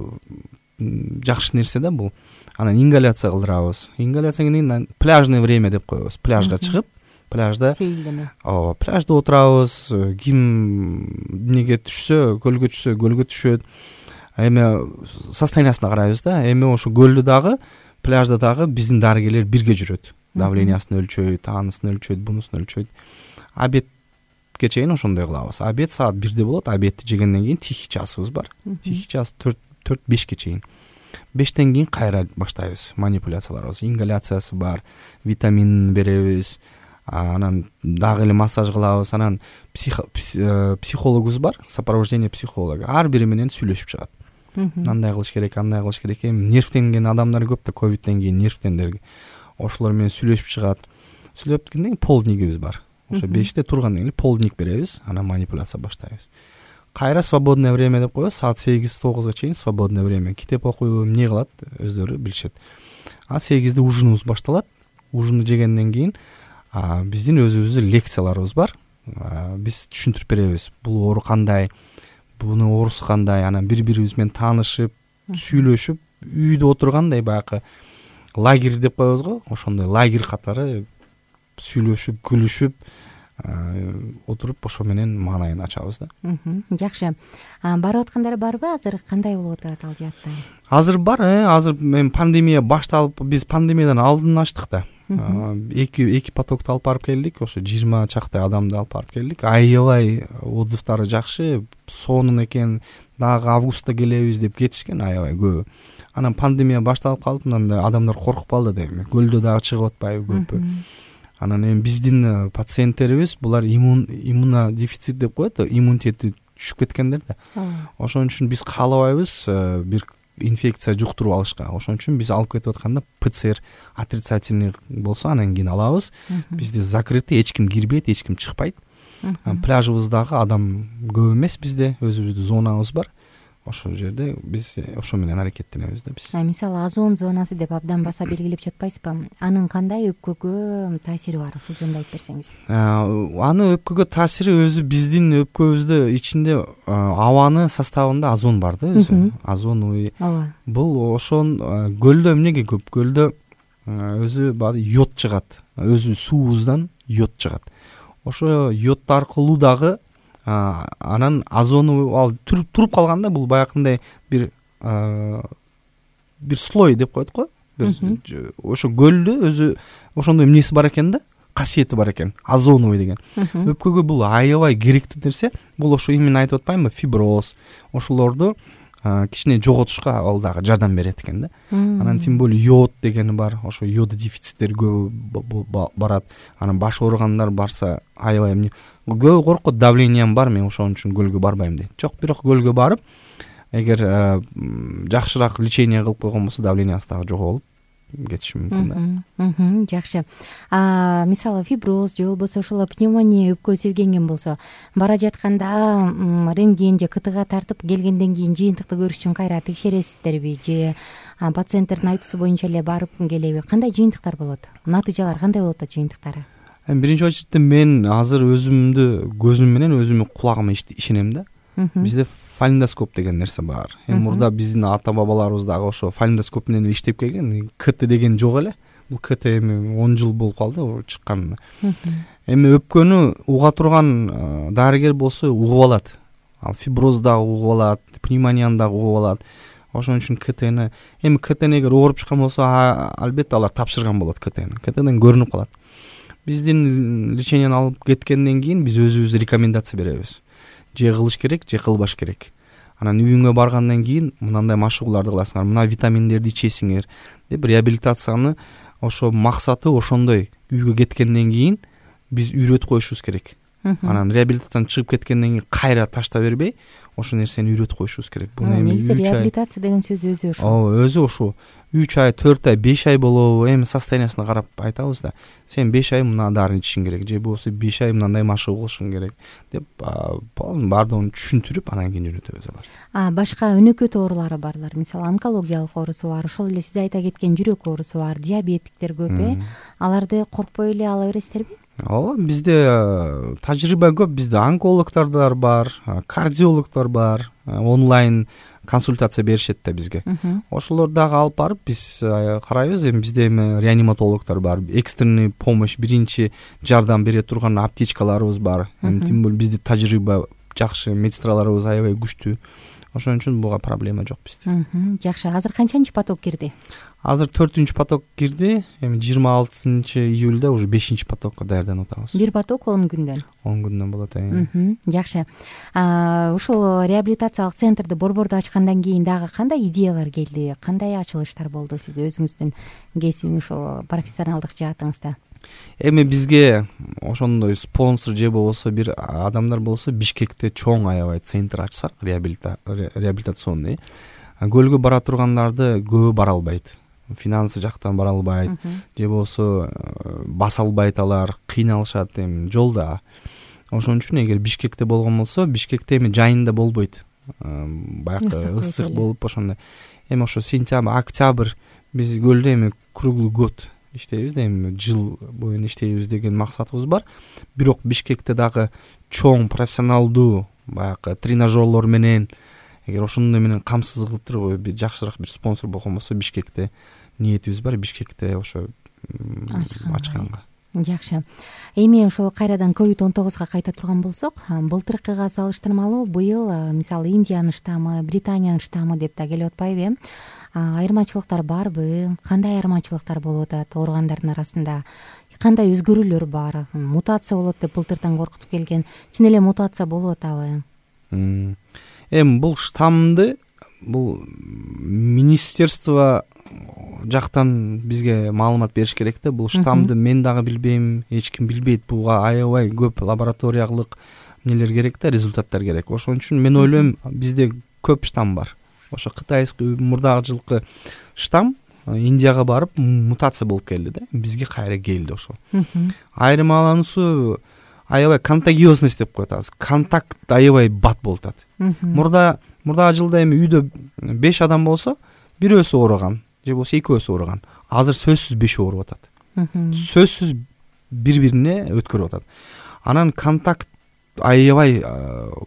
жакшы нерсе да бул. Анан ингаляция кылдырабыз. Ингаляция кийин пляжное время деп коебуз. Пляжга чыгып, пляжда сейилдеме. Пляжда отурабыз. Ким эмнеге түшсө, көлгө түшсө, көлгө түшөт. Эми состояниясына карайбыз да. Эми ошо көлдө дагы, пляжда дагы биздин дарыгерлер бирге жүрөт. Давлениясын өлчөйт, анысын өлчөйт, бунусун өлчөйт. Обедке чейин ошондой кылабыз. Обед саат 1-де болот. Обедти жегенден кийин тихий часыбыз бар. Тихий час 4-5ке чейин. 5тен кийин кайра баштайбыз манипуляцияларыбыз. Ингаляциясы бар, витамин беребиз. Анан дагы эле массаж кылабыз. Анан психологубуз бар, сопровождение психолога. Ар бири менен сүйлөшүп чыгат. Андай кылыш керек, андай кылыш керек. Эми нервтенген адамдар көп да, ковидтен кийин нервтендер. Ошолор менен сүйлөшүп чыгат. Сүйлөп кийин полднигибиз бар. Ошо 5те тургандан кийин полдник беребиз, анан манипуляция баштайбыз. Кайра свободное время деп коебуз, саат 8-9га чейин свободное время. Китеп окуйбу, эмне кылат, өздөрү билишет. 8-де ужинубуз башталат. Ужинду жегенден кийин биздин өзүбүздүн лекцияларыбыз бар. Биз түшүндүрүп беребиз. Бул оору кандай, буну оорусу кандай, анан бири-бирибиз менен таанышып, сүйлөшүп, үйдө отургандай баягы лагерь деп коебуз го, ошондой лагерь катары сүйлөшүп, күлүшүп отуруп ошо менен маанайын ачабыз да. Жакшы. Барып аткандар барбы? Азыр кандай болуп атат ал жаатта? Азыр бар, азыр мен пандемия башталып, биз пандемиядан алдын ачтык да. эки потокту алып барып келдик, ошо 20 чактай адамды алып барып келдик. Аябай отзывдары жакшы, сонун экен, дагы августта келебиз деп кетишкен аябай көп. Анан пандемия башталып калып, мындай адамдар коркуп калды дейм. Көлдө дагы чыгып атпайбы көпү. Анан эми биздин пациенттерибиз булар иммунодефицит деп коет, иммунитети түшүп кеткендер да. Ошон үчүн биз каалабайбыз бир инфекция жуктуруп алышка. Ошон үчүн биз алып кетип атканда ПЦР отрицательный болсо анан кийин алабыз. Бизде закрытый, эч ким кирбейт, эч ким чыкпайт. Пляжыбыздагы адам көп эмес, бизде өзүбүздүн зонабыз бар. Ошол жерде биз ошо менен аракеттенебиз да биз. Мисалы озон зонасы деп абдан баса белгилеп жатпайсызбы? Анын кандай өпкөгө таасири бар? Ушул жөнүндө айтып берсеңиз. Аны өпкөгө таасири өзү биздин өпкөбүздө ичинде абанын составында озон бар да, өзү. Озоновый. Бул ошон көлдө эмнеге көп? Көлдө өзү йод чыгат. Өзү суубуздан йод чыгат. Ошо йод аркылуу дагы анан озону ал туруп калганда бул баягындай бир слой деп коет го. Ошо көлдө өзү ошондой эмнеси бар экен да, касиети бар экен, озоновый деген. Өпкөгө бул аябай керектүү нерсе. Бул ошо именно айтып атпаймынбы, фиброз. Ошолорду кичине жоготушка ал дагы жардам берет экен да. Анан тем более йод дегени бар. Ошо йод дефициттери көп барат. Анан баш ооругандар барса аябай эмне көп коркот, давлением бар, мен ошон үчүн көлгө барбайм дейт. Жок, бирок көлгө барып, эгер жакшыраак лечение кылып койгон болсо давлениясы дагы жоготуп кетиши мүмкүн да. Жакшы. Мисалы фиброз же болбосо ошол пневмония өпкө сезгенген болсо, бара жатканда рентген же КТга тартып келгенден кийин жыйынтыкты көрүш үчүн кайра текшересиздерби же пациенттердин айтуусу боюнча эле барып келеби? Кандай жыйынтыктар болот? Натыйжалар кандай болот жыйынтыктары? Биринчи очередде мен азыр өзүмдү көзүм менен өзүмдүн кулагыма ишенем да. Бизде фалендоскоп деген нерсе бар. Мурда биздин ата бабаларыбыз дагы ошо фалендоскоп менен иштеп келген. КТ деген жок эле. Бул КТ эми 10 жыл болуп калды чыкканына. Эми өпкөнү уга турган дарыгер болсо угуп алат. Ал фиброз дагы угуп алат, пневмонияны дагы угуп алат. Ошон үчүн КТны эми КТны эгер ооруп чыккан болсо, албетте алар тапшырган болот КТны. КТдан көрүнүп калат. Биздин леченияны алып кеткенден кийин биз өзүбүз рекомендация беребиз. Же кылыш керек, же кылбаш керек. Анан үйүңө баргандан кийин мындай машыгууларды кыласыңар, мына витаминдерди ичесиңер деп реабилитацияны ошо максаты ошондой. Үйгө кеткенден кийин биз үйрөтүп коюшубуз керек. Анан реабилитациядан чыгып кеткенден кийин кайра ташта бербей, ошо нерсени үйрөтүп коюшубуз керек. Буну негизи реабилитация деген сөз өзү ошо. Өзү ошо. 3 ай, 4 ай, 5 ай болобу, эми состояниясына карап айтабыз да. Сен 5 ай мына дарын ичишиң керек, же болбосо 5 ай мындай машыгуу кылышың керек деп баардыгын түшүндүрүп анан кийин үйрөтөбүз алар. Башка өнөкөт оорулары барлар, мисалы онкологиялык оорусу бар, ошол эле сиз айта кеткен жүрөк оорусу бар, диабеттиктер көп Аларды коркпой эле ала бересиздерби? Ооба, бизде тажрыйба көп. Бизде онкологдор бар, кардиологдор бар, онлайн консультация беришет да бизге. Ошолор дагы алып барып биз карайбыз. Эми бизде реаниматологдор бар, экстренный помощь, биринчи жардам бере турган аптечкаларыбыз бар. Тем более бизде тажрыйба жакшы, медсестраларыбыз аябай күчтүү. Ошон үчүн буга проблема жок бизде. Жакшы. Азыр канчанчы поток кирди? Азыр 4-ч поток кирди. Эми 26-июлда уже 5-ч потокко даярданып атабыз. Бир поток 10 күндөн. 10 күндөн болот. Жакшы. Ушул реабилитациялык центрди Борбордо ачкандан кийин дагы кандай идеялар келди? Кандай ачылыштар болду сиз өзүңүздүн кесип ушул профессионалдык жаатыңызда? Эми бизге ошондой спонсор же болбосо бир адамдар болсо Бишкекте чоң аябай центр ачсак, реабилитационный. Көлгө бара тургандарды көбү бара албайт. Финансы жактан бара албайт, же болбосо баса албайт, алар кыйналышат эми жолдо. Ошон үчүн эгер Бишкекте болгон болсо, Бишкекте эми жайында болбойт. Баягы ысык болуп ошондой. Эми ошо сентябрь, октябрь биз көлдө эми круглый год иштейбиз да, эми жыл боюна иштейбиз деген максатыбыз бар. Бирок Бишкекте дагы чоң профессионалдуу баягы тренажерлор менен, эгер ошондой менен камсыз кылып туруп бир жакшыраак бир спонсор болгон болсо, Бишкекте ниетибиз бар, Бишкекте ошо ачканга. Жакшы. Эми ошол кайрадан COVID-19га кайта турган болсок, былтыркыга салыштырмалуу быйыл мисалы Индиянын штаммы, Британиянын штаммы деп да келип атпайбы? айырмачылыктар барбы, кандай айырмачылыктар болуп атат ооругандардын арасында, кандай өзгөрүүлөр бар, мутация болот деп былтыртан коркутуп келген, чын эле мутация болуп атабы? Эми бул штаммды бул министерство жактан бизге маалымат бериш керек да. Бул штаммды мен дагы билбейм, эч ким билбейт. Буга аябай көп лабораториялык эмнелер керек да, результаттар керек. Ошон үчүн мен ойлойм, бизде көп штамм бар. Ошо кытайский мурдагы жылкы штамм Индияга барып мутация болуп келди да, бизге кайра келди ошо. Айырмалануусу аябай контагиозность деп коет азыр. Контакт аябай бат болуп атат. Мурдагы жылда эми үйдө 5 адам болсо, бирөөсү ооруган же болбосо экөөсү ооруган. Азыр сөзсүз 5 ооруп атат. Сөзсүз бири-бирине өткөрүп атат. Анан контакт аябай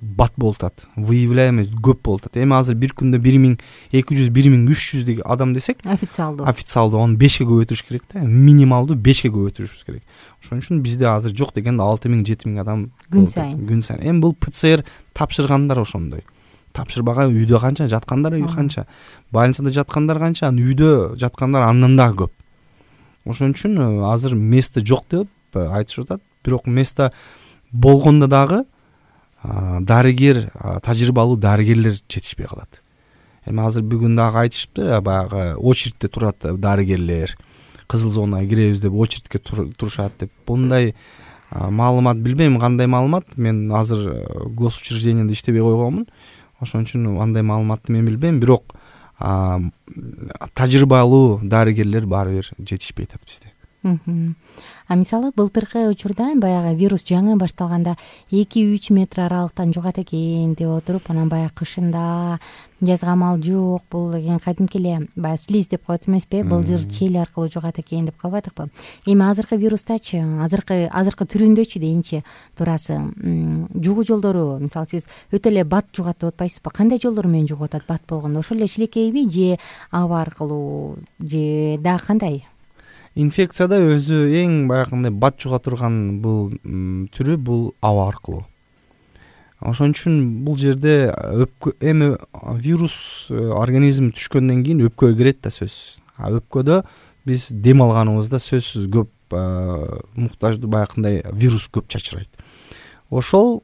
бат болуп атат. Выявляемость көп болуп атат. Эми азыр бир күндө 1200 1300 деген адам десек, официалдуу оны 5ке көбөйтүрүш керек да. Минималдуу 5ке көбөйтүрүш керек. Ошон үчүн бизде азыр жок дегенде 6000-7000 адам күн сайын. Эми бул ПЦР тапшыргандар ошондой. Тапшырбаган үйдө канча, жаткандар үй канча, больницада жаткандар канча, үйдө жаткандар андан дагы көп. Ошон үчүн азыр место жок деп айтышып атат. Бирок место болгондо дагы дарыгер, тажрыйбалуу дарыгерлер жетишпей калат. Эми азыр бүгүн дагы айтышыпты, баягы очередьте турат дарыгерлер, кызыл зонага киребиз деп очередьке турушат деп. Bunday маалымат билбейм, кандай маалымат. Мен азыр госучреждениеде иштебей койгонмун. Ошон үчүн андай маалыматты мен билбейм, бирок тажрыйбалуу дарыгерлер баары бир жетишпей атат бизде. Мисалы былтыркы учурда баягы вирус жаңы башталганда 2-3 метр аралыктан жугат экен деп отуруп, анан баягы кышында жазга амал жок, бул деген кадимки эле баягы слиз деп коет эмеспи, былжыр чел аркылуу жугат экен деп калбадыкпы? Эми азыркы вирустачы, азыркы түрүндөчү дейинчи турасы, жугуу жолдору, мисалы сиз өтө эле бат жугат деп атпайсызбы? Кандай жолдор менен жугуп атат бат болгондо? Ошол эле шилекейби же аба аркылуу же дагы кандай? Инфекцияда өзү эң баягындай бат жуга турган бул түрү бул аба аркылуу. Ошон үчүн бул жерде эми вирус организм түшкөндөн кийин өпкөгө кирет да сөзсүз. Өпкөдө биз дем алганыбызда сөзсүз көп муктаждуу баягындай вирус көп чачырайт. Ошол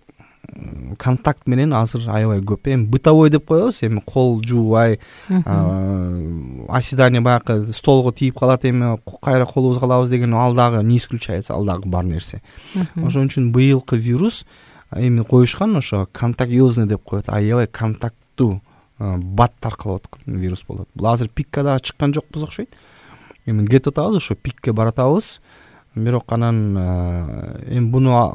контакт менен азыр аябай көп. Эми бытовой деп коебуз, эми кол жуубай, оседание баягы столго тийип калат, эми кайра колубузга алабыз деген ал дагы не исключается, ал дагы бар нерсе. Ошон үчүн быйылкы вирус эми коюшкан ошо контагиозный деп коет, аябай контакттуу бат таркалып аткан вирус болот. Бул азыр пикке дагы чыккан жокпуз окшойт. Эми кетип атабыз, ошо пикке баратабыз. Бирок анан эми буну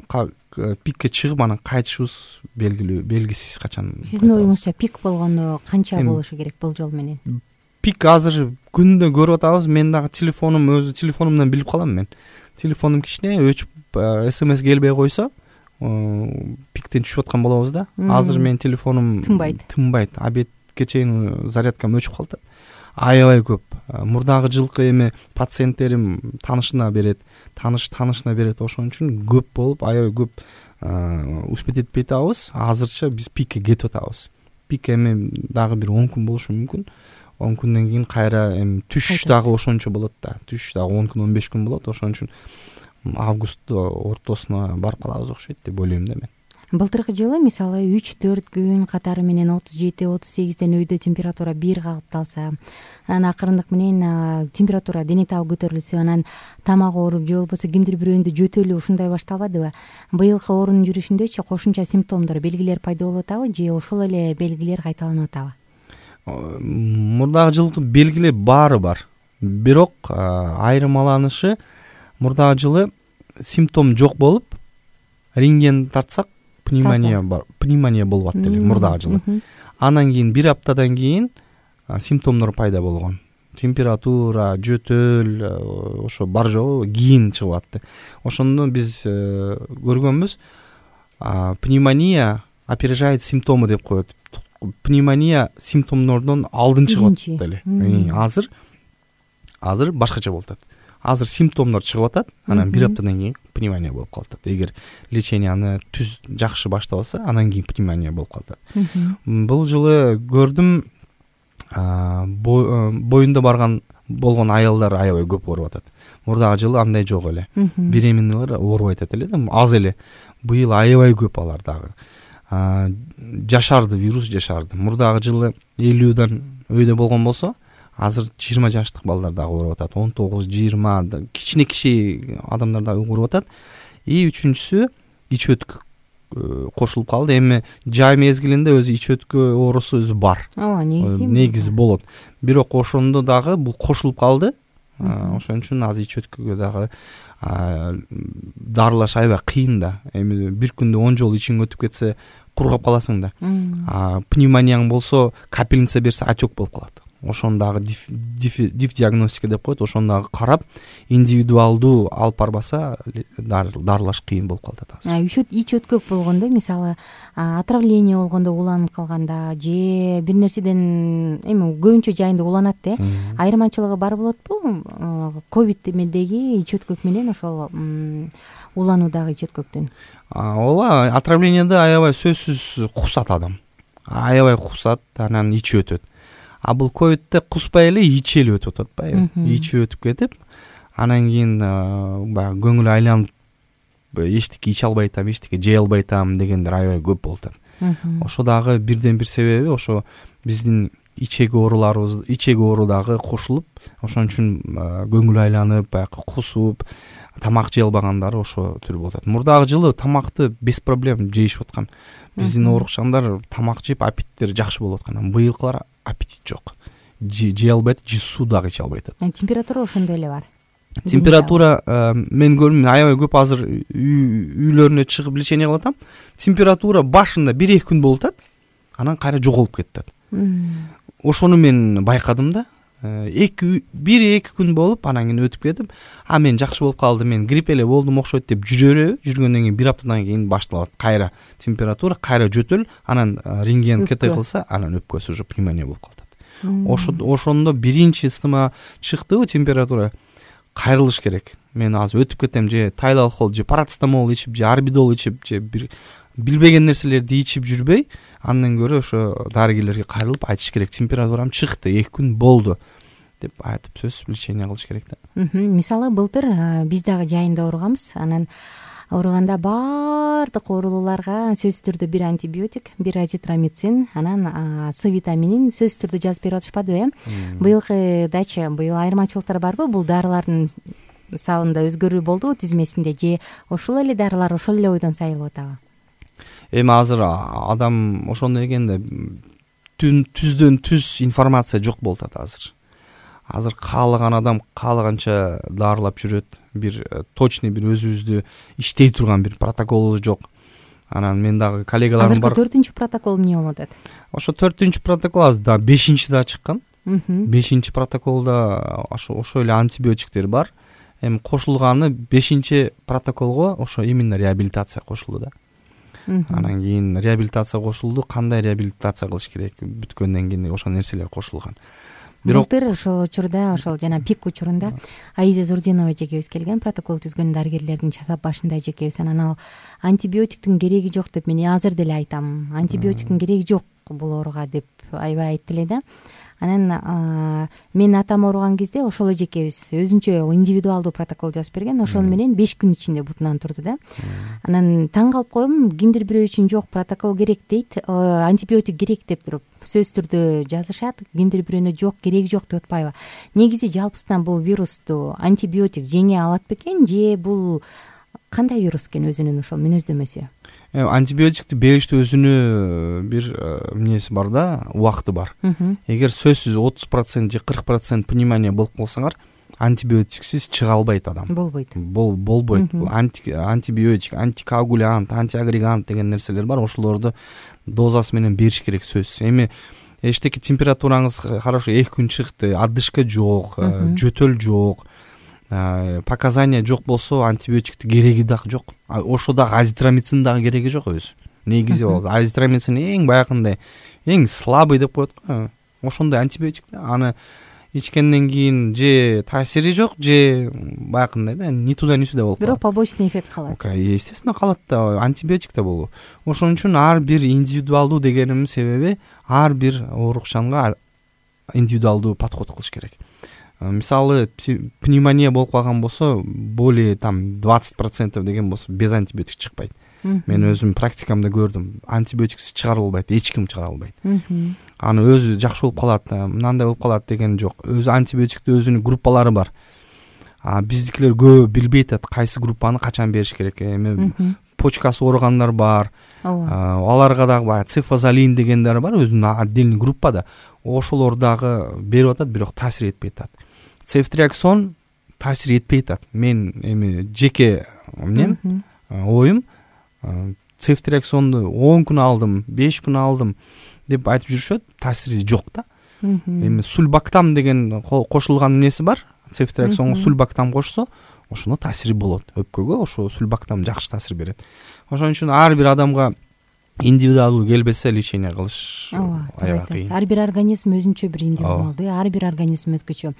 пикке чыгып анан кайтышыбыз белгисиз качан. Сиздин оюңузча пик болгондо канча болушу керек бул жол менен? Пик азыр күндө көрүп атабыз. Мен дагы өзү телефонумдан билип калам мен. Телефонум кичине өчүп СМС келбей койсо, пиктен түшүп аткан болобуз да. Азыр менин телефонум тынбайт. Обедке чейин зарядкам өчүп калат. Аябай көп. Мурдагы жылкы эми пациенттерим таанышына берет, таанышына берет. Ошон үчүн көп болуп, аябай көп успеть этпей атабыз. Азырча биз пикке кетип атабыз. Пик эми дагы бир 10 күн болушу мүмкүн. 10 күндөн кийин кайра эми түшүш дагы ошончо болот да. Түшүш дагы 10 күн, 15 күн болот. Ошон үчүн август ортосуна барып калабыз окшойт деп ойлойм да мен. Былтыркы жылы мисалы 3-4 күн катары менен 37-38ден өйдө температура 1 калыпталса, анан акырындык менен температура, дене табы көтөрүлсө, анан тамак ооруп же болбосо кимдир бирөөндө жөтөлүү ушундай башталбадыбы? Быйылкы оорунун жүрүшүндөчү кошумча симптомдор, белгилер пайда болуп атабы же ошол эле белгилер кайталанып атабы? Мурдагы жылкы белгилер баары бар. Бирок айырмаланышы, мурдагы жылы симптом жок болуп, рентген тартсак пневмония болуп атты эле мурдагы жылы. Анан кийин 1 аптадан кийин симптомдор пайда болгон. Температура, жөтөл, ошо бар жогу кийин чыгып атты. Ошондо биз көргөнбүз, пневмония опережает симптомы деп коет. Пневмония симптомдордон алдын чыгып атты эле. Азыр башкача болуп атат. Азыр симптомдор чыгып атат, анан 1 аптадан кийин пневмония болуп калат. Эгер леченияны түз жакшы баштабаса, анан кийин пневмония болуп калат. Бул жылы көрдүм, боюнда болгон аялдар аябай көп ооруп атат. Мурдагы жылы андай жок эле. Беременныйлар оорубай атат эле да, аз эле. Быйыл аябай көп алар дагы. Жашарды, вирус жашарды. Мурдагы жылы 50дан өйдө болгон болсо, азыр 20 жаштык балдар дагы ооруп атат. 19-20 кичине адамдар дагы ооруп атат. И үчүнчүсү ич өткү кошулуп калды. Эми жай мезгилинде өзү ич өткү оорусу өзү бар. Негизи болот. Бирок ошондо дагы бул кошулуп калды. Ошон үчүн азыр ич өткүгө дагы дарылаш аябай кыйын да. Эми бир күндө 10 жолу ичиң өтүп кетсе кургап каласың да. Пневмонияң болсо капельница берсе отек болуп калат. Ошону дагы диагностика деп коет. Ошону дагы карап, индивидуалдуу алып барбаса дарылаш кыйын болуп калат азыр. Ич өткөк болгондо, мисалы, отравление болгондо уланып калганда же бир нерседен эми көбүнчө жайында уланат да. Айырмачылыгы бар болотпу? Ковид эмедеги ич өткөк менен ошол улануудагы ич өткөктүн. Ооба, отравлениеде аябай сөзсүз кусат адам. Аябай кусат, анан ичи өтөт. А бул ковидте куспай эле ичи эле өтүп атат, ичи өтүп кетип, анан кийин баягы көңүл айланып, эчтеке иче албай атам, эчтеке жей албай атам дегендер аябай көп болуп атат. Ошо дагы бирден бир себеби ошо биздин ичеги оору дагы кошулуп, ошон үчүн көңүл айланып, баягы кусуп, тамак жей албагандары ошо түр болуп атат. Мурдагы жылы тамакты без проблем жейишип аткан. Биздин оорукчандар тамак жеп, аппетиттери жакшы болуп аткан. Быйылкылар аппетит жок. Жей албайт, же суу дагы иче албай атат. Температура ошондой эле бар. Температура мен көрдүм, аябай көп азыр үйлөрүнө чыгып лечение кылып атам. Температура башында 1-2 күн болуп атат, анан кайра жоголуп кетет. Ошону мен байкадым да. 1-2 күн болуп, анан кийин өтүп кетип, мен жакшы болуп калды, мен грипп эле болдум окшойт деп жүргөндөн кийин 1 аптадан кийин башталат кайра температура, кайра жөтөл, анан рентген КТ кылса, анан өпкөсү уже пневмония болуп калат. Ошондо биринчи ыстыма чыктыбы температура, кайрылыш керек. Мен азыр өтүп кетем, же тайлалхол, же парацетамол ичип, же арбидол ичип, же бир билбеген нерселерди ичип жүрбөй, андан көрө ошо дарыгерлерге кайрылып айтыш керек. Температурам чыкты, 2 күн болду деп айтып сөзсүз лечение кылыш керек да. Мисалы, былтыр биз дагы жайында ооруганбыз. Анан ооруганда баардык оорулууларга сөзсүз түрдө бир антибиотик, бир азитромицин, анан С витаминин сөзсүз түрдө жазып берип атышпадыбы? Быйылкыдачы быйыл айырмачылыктар барбы? Бул дарылардын сабында өзгөрүү болдубу тизмесинде, же ошол эле дарылар ошол эле ойдон сайылып атабы? Эми азыр адам ошондой экенде түздөн түз информация жок болуп атат азыр. Азыр каалаган адам каалаганча дарылап жүрөт. Бир точный бир өзүбүздү иштей турган бир протоколубуз жок. Анан мен дагы коллегаларым бар. Азыркы 4-үнчү протокол эмне болуп атат? Ошо 4-үнчү протокол азыр да 5-чи да чыккан. 5-чи протоколдо ошо эле антибиотиктер бар. Эми кошулганы 5-чи протоколго ошо именно реабилитация кошулду да. Анан кийин реабилитация кошулду. Кандай реабилитация кылыш керек? Бүткөндөн кийин ошол нерселер кошулган. Былтыр ошол учурда, ошол жана пик учурунда Аида Зурдинова эжекебиз келген, протокол түзгөн дарыгерлердин чатап башында эжекебиз. Анан ал антибиотиктин кереги жок деп, мен азыр деле айтам, антибиотиктин кереги жок бул ооруга деп аябай айтты эле да. Анан мен атам ооруган кезде ошол эжекебиз өзүнчө индивидуалдуу протокол жазып берген. Ошол менен 5 күн ичинде бутунан турду да. Анан таң калып койдум, кимдир бирөө үчүн жок, протокол керек дейт, антибиотик керек деп туруп сөзсүз түрдө жазышат, кимдир бирөөнө жок, кереги жок деп атпайбы? Негизи жалпысынан бул вирусту антибиотик жеңе алат бекен, же бул кандай вирус экен өзүнүн ошол мүнөздөмөсү? Антибиотикти бериште өзүнүн бир эмнеси бар да, убакыты бар. Эгер сөзсүз 30% же 40% пневмония болуп калсаңар, антибиотиксиз чыга албайт адам. Болбойт. Болбойт. Антибиотик, антикоагулянт, антиагрегант деген нерселер бар. Ошолорду дозасы менен бериш керек сөзсүз. Эми эчтеке температураңыз хорошо 2 күн чыкты, отдышка жок, жөтөл жок, показания жок болсо антибиотиктин кереги дагы жок. Ошо дагы азитромицин дагы кереги жок өзү. Негизи болот. Азитромицин эң баягындай, эң слабый деп коет го. Ошондой антибиотик да. Аны ичкенден кийин же таасири жок, же баягындай да, ни туда ни сюда болуп калат. Бирок побочный эффект калат. Естественно калат да, антибиотик да болобу. Ошон үчүн ар бир индивидуалдуу дегеним себеби ар бир оорукчанга индивидуалдуу подход кылыш керек. Мисалы пневмония болуп калган болсо более там 20% деген болсо без антибиотик чыкпайт. Мен өзүм практикамда көрдүм, антибиотиксиз чыгарып албайт, эч ким чыгара албайт. Аны өзү жакшы болуп калат, мындай болуп калат деген жок. Өзү антибиотиктин өзүнүн группалары бар. Биздикилер көп билбей атат кайсы группаны качан бериш керек. Эми почкасы ооругандар бар. Аларга дагы баягы цифазолин дегендер бар, өзүнүн отдельный группада. Ошолор дагы берип атат, бирок таасир этпей атат. Цефтриаксон таасир этпей атат. Мен эми жеке эмнем оюм, цефтриаксонду 10 күн алдым, 5 күн алдым деп айтып жүрүшөт, таасири жок да. Эми сульбактам деген кошулган нерсе бар. Цефтриаксонго сульбактам кошсо, ошондо таасири болот. Өпкөгө ошо сульбактам жакшы таасир берет. Ошон үчүн ар бир адамга индивидуалдуу келбесе лечение кылыш аябай кыйын. Ар бир организм өзүнчө бир индивидуалдуу, ар бир организм өзгөчө.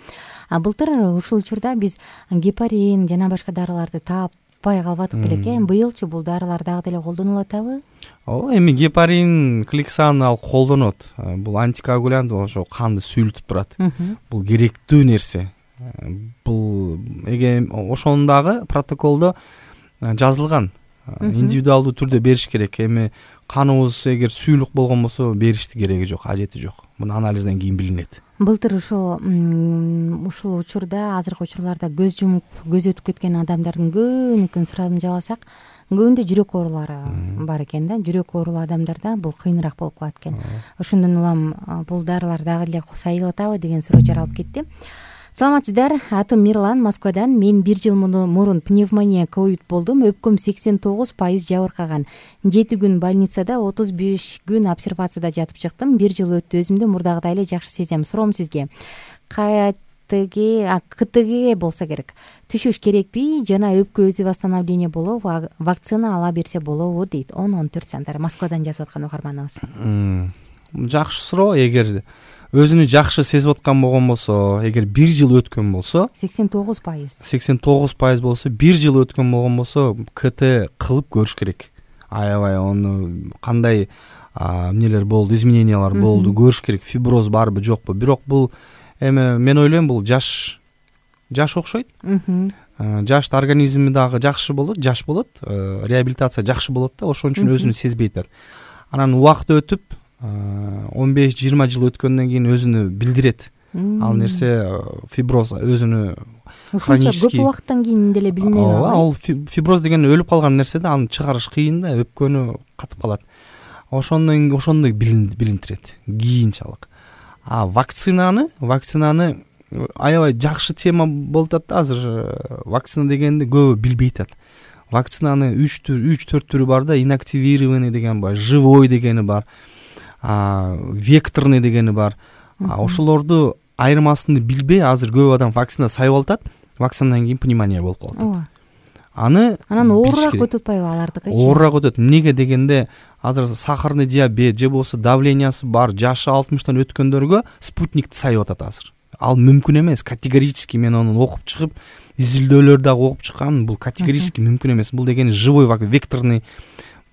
Былтыр ушул учурда биз гепарин жана башка дарыларды тааппай калбадык белек. Быйылчы бул дарылар дагы деле колдонулуп атабы? Эми гепарин, кликсан ал колдонот. Бул антикоагулянт, ошо канды сүйлүтүп турат. Бул керектүү нерсе. Бул ошондагы протоколдо жазылган. Индивидуалдуу түрдө бериш керек. Эми каныбыз эгер сүйлүк болгон болсо беришти кереги жок, ажети жок. Муну анализден кийин билинет. Былтыр ушул учурда, азыркы учурларда көз жумуп, көз өтүп кеткен адамдардын көбүнүкүн сурадым жаласак, көбүндө жүрөк оорулары бар экен да. Жүрөк оорулуу адамдарда бул кыйыныраак болуп калат экен. Ошондон улам бул дарылар дагы эле сайылып атабы деген суроо жаралып кетти. Саламатсыздар, атым Мирлан, Москвадан. Мен 1 жыл мурун пневмония ковид болдум. Өпкөм 89% жабыркаган. 7 күн больницада, 35 күн обсервацияда жатып чыктым. 1 жыл өттү, өзүмдү мурдагыдай эле жакшы сезем. Суроом сизге. КТГ болсо керек. Түшүш керекпи жана өпкө өзү восстановление болобу, вакцина ала берсе болобу дейт. 10-14 сандар. Москвадан жазып аткан угарманыбыз. Жакшы суроо. Эгер өзүнү жакшы сезип аткан болгон болсо, эгер 1 жыл өткөн болсо, 89% болсо, 1 жыл өткөн болгон болсо, КТ кылып көрүш керек. Аябай ону кандай эмнелер болду, изменениялар болду, көрүш керек. Фиброз барбы, жокпу. Бирок бул эми мен ойлойм, бул жаш окшойт. Жашта организми дагы жакшы болот, жаш болот, реабилитация жакшы болот да, ошон үчүн өзүнү сезбей атат. Анан убакыт өтүп 15-20 жыл өткөндөн кийин өзүнү билдирет. Ал нерсе фиброз өзүнү хронический. Көп убакыттан кийин деле билине алат. Ал фиброз деген өлүп калган нерсе да, аны чыгарыш кыйын да, өпкөнү катып калат. Ошондой билинтирет кийинчалык. Вакцинаны аябай жакшы тема болуп атат да азыр. Вакцина дегенди көбү билбей атат. Вакцинаны 3-4 түрү бар да, инактивированный деген бар, живой дегени бар, векторный дегени бар. Ошолорду айырмасын билбей азыр көп адам вакцина сайып атат, вакцинадан кийин пневмония болуп калат. Анан оорураак өтүп атпайбы алардыкы? Оорураак өтөт. Эмнеге дегенде, азыр сахарный диабет же болбосо давлениясы бар, жашы 60тан өткөндөргө спутникти сайып атат азыр. Ал мүмкүн эмес, категорически. Мен аны окуп чыгып, изилдөөлөр дагы окуп чыккан, бул категорически мүмкүн эмес. Бул дегени живой векторный.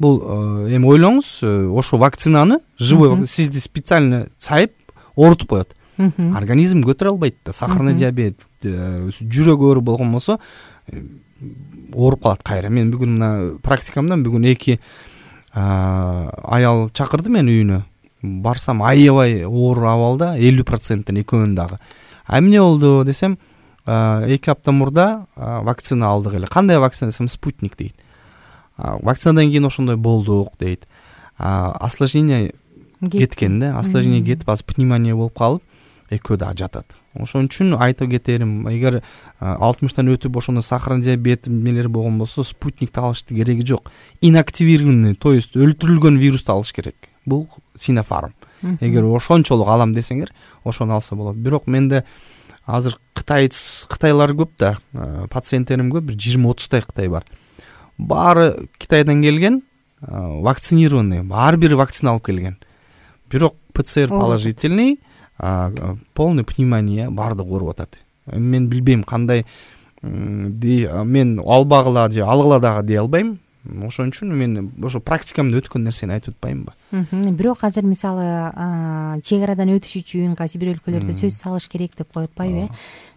Бул эми ойлоңуз, ошо вакцинаны живой сизди специально сайып оорутуп коет. Организм көтөрө албайт да. Сахарный диабет, жүрөк оору болгон болсо ооруп калат кайра. Мен бүгүн мына практикамдан 2 аял чакырды мен үйүнө. Барсам аябай оор абалда, 50%тен экөөнүн дагы. Эмне болду десем, 2 апта мурда вакцина алдык эле. Кандай вакцина десем, спутник дейт. Вакцинадан кийин ошондой болдук дейт. Осложнение кеткен да, осложнение кетип, азыр пневмония болуп калып, экөө дагы жатат. Ошон үчүн айтып кетерим, эгер 60тан өтүп ошондой сахарный диабет эмелери болгон болсо, спутникти алыштын кереги жок. Инактивированный, то есть өлтүрүлгөн вирусту алыш керек. Бул Sinopharm. Эгер ошончолук алам десеңер, ошону алса болот. Бирок менде азыр кытайлар көп да, пациенттерим көп, бир 20-30 Кытай бар. Баары Китайдан келген, вакцинированный, ар бири вакцина алып келген. Бирок ПЦР положительный, полный пневмония, баардыгы ооруп атат. Мен билбейм кандай, мен албагыла же алгыла дагы дей албайм. Ошон үчүн мен ошо практикамда өткөн нерсени айтып атпаймынбы. Бирок азыр мисалы чек арадан өтүш үчүн кайсы бир өлкөлөрдө сөз салыш керек деп коюп атпайбы?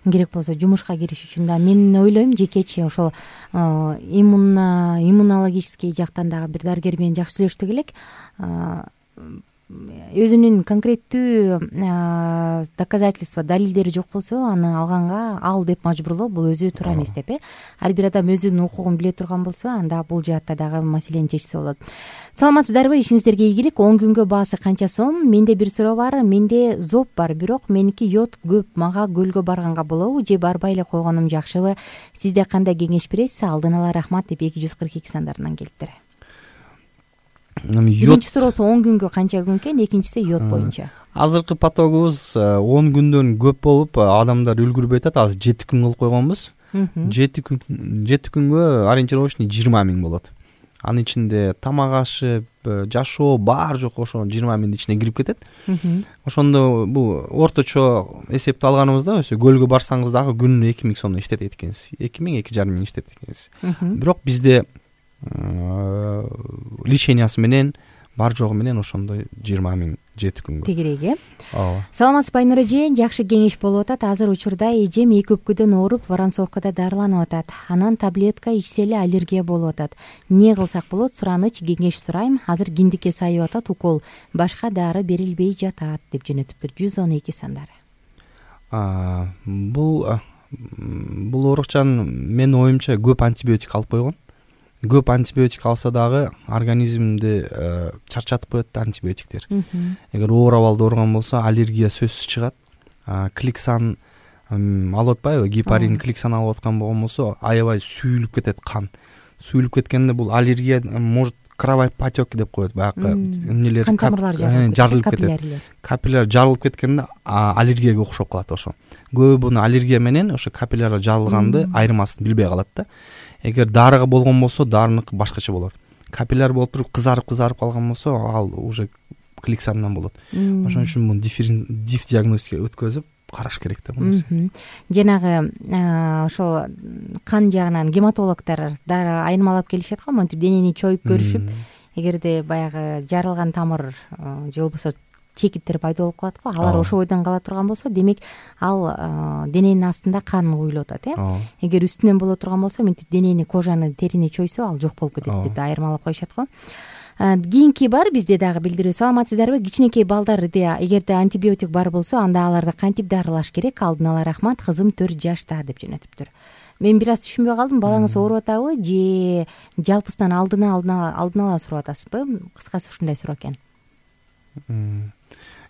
Керек болсо жумушка кириш үчүн да мен ойлойм жекечи ошол иммунологический жактан дагы бир дарыгер менен жакшы сүйлөштүк элек. Өзүнүн конкреттүү доказательство, далилдери жок болсо аны алганга ал деп мажбурлоо бул өзү туура эмес деп. Ар бир адам өзүнүн укугун биле турган болсо анда бул жаатта дагы маселени чечсе болот. Саламатсыздарбы? Ишиңиздерге ийгилик. 10 күнгө баасы канча сом? Менде бир суроо бар. Менде зоб бар, бирок меники йод көп. Мага көлгө барганга болобу же барбай эле койгонум жакшыбы? Сизде кандай кеңеш бересиз? Алдын ала рахмат деп 242 сандарынан келиптир. Биринчи суроосу 10 күнгө канча күн экен, экинчиси йод боюнча. Азыркы потогубуз 10 күндөн көп болуп, адамдар үлгүрбөй атат. Азыр 7 күн кылып койгонбуз. 7 күнгө ориентировочный 20 000 болот. Анын ичинде тамак ашып, жашоо бар жок ошо 20 000 ичине кирип кетет. Ошондо бул орточо эсепти алганыбызда ошо көлгө барсаңыз дагы күнүнө 2000 сомдон иштетет экенсиз. 2000, 2500 иштетет экенсиз. Бирок бизде лечениясы менен бар жогу менен ошондой 20 000 7 күнгө. Тегерек, ооба. Саламатсызбы Айнура эже? Жакшы кеңеш болуп атат. Азыр учурда эжем 2 өпкөдөн ооруп, Воронцовкада дарыланып атат. Анан таблетка ичсе эле аллергия болуп атат. Эмне кылсак болот? Сураныч, кеңеш сурайм. Азыр киндикке сайып атат, укол. Башка дары берилбей жатат деп жөнөтүптүр. 112 сандары. Бул оорукчан менин оюмча көп антибиотик алып койгон. Көп антибиотик алса дагы организмди чарчатып коет антибиотиктер. Эгер оор абалда ооруган болсо аллергия сөзсүз чыгат. Кликсан алып атпайбы? Гепарин, кликсан алып аткан болгон болсо аябай сүйүлүп кетет кан. Сүйүлүп кеткенде бул аллергия может кровопотек деп коет. Баягы эмнелер кан тамырлары жарылып кетет. Капилляр жарылып кеткенде аллергияга окшоп калат ошо. Көбү буну аллергия менен ошо капилляр жарылганды айырмасын билбей калат да. Эгер дарыга болгон болсо дарыныкы башкача болот. Капилляр болуп туруп кызарып калган болсо ал уже кликсандан болот. Ошон үчүн муну диф диагностика өткөзүп караш керек да бул нерсе. Жанагы ошол кан жагынан гематологдор дары айырмалап келишет го, монтип денени чоюп көрүшүп, эгерде баягы жарылган тамыр же болбосо чекиттер пайда болуп калат го, алар ошол бойдон кала турган болсо, демек ал дененин астында кан куюлуп атат, Эгер үстүнөн боло турган болсо, мынтип денени, кожаны, терини чойсо, ал жок болуп кетет деп айырмалап коюшат го. Кийинки бар бизде дагы билдирүү. Саламатсыздарбы? Кичинекей балдарда эгерде антибиотик бар болсо, анда аларды кантип дарылаш керек? Алдын ала рахмат, кызым 4 жашта деп жөнөтүптүр. Мен бир аз түшүнбөй калдым. Балаңыз ооруп атабы же жалпысынан алдын ала сурап атасызбы? Кыскасы ушундай суроо экен.